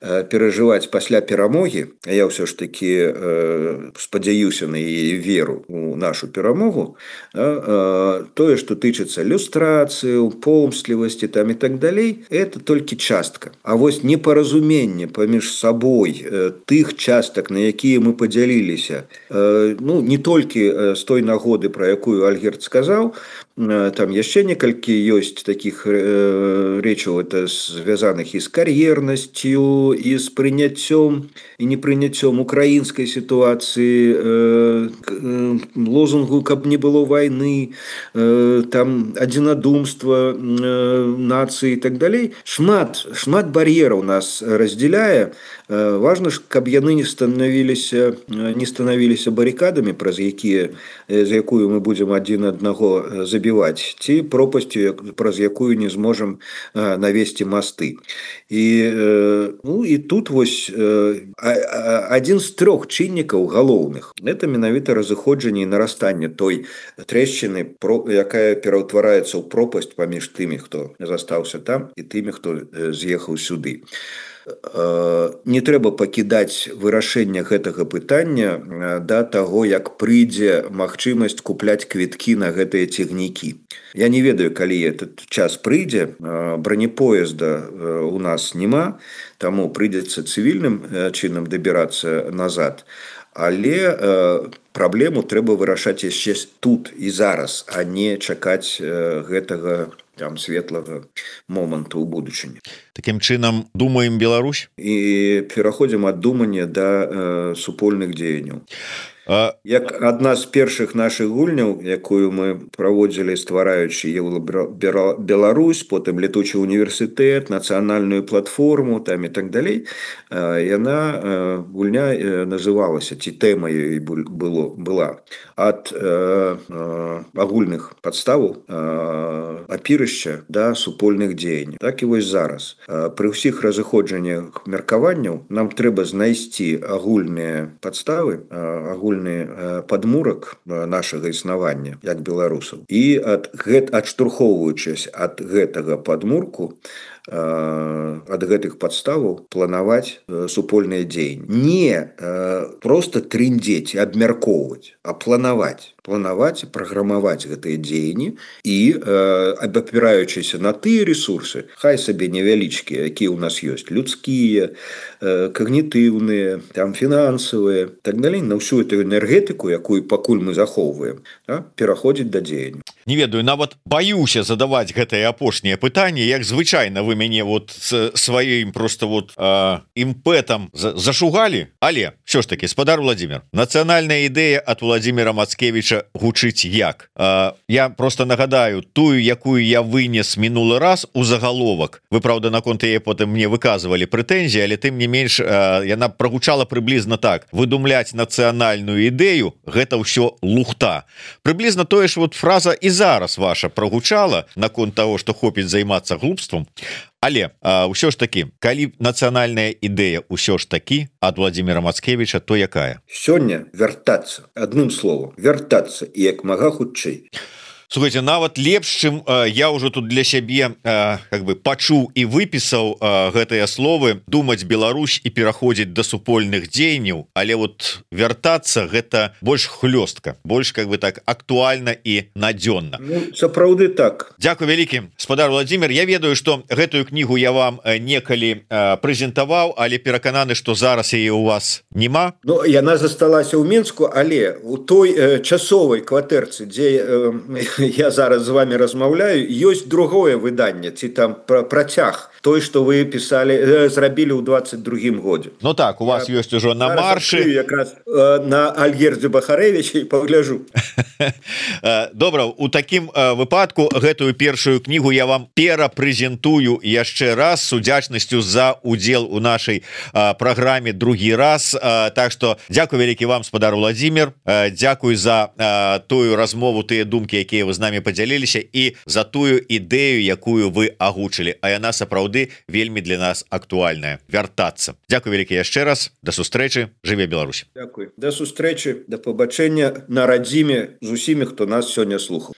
э, перажываць пасля перамогі, а я ўсё ж такі э, спадзяюся на яе веру у нашу перамогу, э, тое, што тычыцца люстрацыі, помслівасці там і так далей, это толькі частка. А вось непаразуменне паміж сабой э, тых частак, на якія мы падзяліліся, э, ну, не толькі з той нагоды, пра якую Альгерд сказаў, там яшчэ некалькі ёсць такіх э, рэчаў, это звязаных і з кар'ернасцю, і з прыняццём і непрыняццём украінскай сітуацыі, э, э, лозунгу «Каб не было вайны», э, там адзінадумства э, нацыі і так далей. Шмат, шмат бар'ераў нас раздзяляе. Э, важна ж, каб яны не станавіліся, не станавіліся барыкадамі, праз якія, за якую мы будзем адзін аднаго забіваць, ці пропасцю, праз якую не зможам э, навесці масты. І, э, ну, і тут вось э, адзін з трох чыннікаў галоўных – это менавіта разыходжанне і нарастанне той трэшчыны, якая пераўтвараецца ў пропасць паміж тымі, хто застаўся там, і тымі, хто з'ехаў сюды. не трэба пакідаць вырашэння гэтага пытання да таго, як прыйдзе магчымасць купляць квіткі на гэтыя цягнікі. Я не ведаю, калі этот час прыйдзе, бронепоезда у нас няма, таму прыйдзецца цывільным чынам дабірацца назад. Але праблему трэба вырашаць яшчэ тут і зараз, а не чакаць гэтага там светлага моманту ў будучыні. Такім чынам думаем Беларусь і пераходзім ад думання да э, супольных дзеянняў. А... Як адна з першых нашых гульняў, якую мы праводзілі, ствараючы Беларусь, потым летучы універсітэт, нацыянальную платформу там і так далей, яна гульня называлася, ці тэма ёй было была ад э, э, агульных падставаў э, апірышча да супольных дзеянняў. Так і вось зараз. Пры ўсіх разыходжаннях меркаванняў нам трэба знайсці агульныя падставы, агульныя падмурак нашага існавання як беларусаў. І ад гэт адштурхоўваючись ад гэтага падмурку, ад гэтых падставаў планаваць супольныя дзеянні. Не просто трындзець, абмяркоўваць, а планаваць. Планаваць, праграмаваць гэтыя дзеянні і абапіраючыся на тыя ресурсы, хай сабе невялічкія, якія ў нас ёсць, людскія, когнітыўныя, там фінансавыя, так далей, на ўсю эту энергетыку, якую пакуль мы захоўваем, да, пераходзіць да дзеяння. Не ведаю, нават баюся задаваць гэтае апошняе пытанне, як звычайна вы мяне вот сваім просто вот э, імпэтам зашугалі, але все ж таки, спадар Владимир, нацыянальная ідэя ад Владимира Мацкевича гучыць як? Э, я просто нагадаю тую, якую я вынес мінулы раз у загаловак. Вы, правда, наконт яе потым мне выказывалі прэтэнзіі, але тым не менш э, яна прагучала прыблізна так: выдумляць нацыянальную ідэю — гэта ўсё лухта. Прыблізна тое ж вот фраза і зараз ваша прагучала наконт того, што хопіць займацца глупствам. Але а, ўсё ж такі, калі нацыянальная ідэя ўсё ж такі ад Владимира Мацкевича, то якая? Сёння вяртацца, адным словам, вяртацца і як мага хутчэй. Слухайте, нават лепш, чым э, я ўжо тут для сябе э, как бы пачуў і выпісаў э, гэтыя словы, думаць Беларусь і пераходзіць да супольных дзеянняў, але вот вяртацца — гэта больш хлёстка, больш как бы так актуальна і надзённа. Ну, сапраўды так. Дзякуй вялікі, спадар Владимир. Я ведаю, што гэтую кнігу я вам некалі э, прэзентаваў, але перакананы, што зараз яе у вас няма. Ну, яна засталася ў Мінску, але у той э, часовай кватэрцы, дзе э, я зараз з вами размаўляю, ёсць другое выданне, ці там працяг той, што вы пісалі, зрабілі ў двадцать другім годзе. Ну так, у вас я ёсць ужо на маршы. Якраз э, на Альгердзе Бахарэвіча і пагляжу. Добра, у такім выпадку гэтую першую кнігу я вам перапрэзентую яшчэ раз с удзячнасцю за удзел у нашай праграме другі раз. Так што дзякуй вялікі вам, спадар Владимир. Дзякуй за тую размову, тыя думкі, якія вы з намі падзяліліся, і за тую ідэю, якую вы агучылі, а яна сапраўды вельмі для нас актуальная. Вяртацца. Дзякуй вялікі яшчэ раз. Да сустрэчы. Жыве Беларусь. Дзякуй. Да сустрэчы, да пабачэння на радзіме з усімі, хто нас сёння слухаў.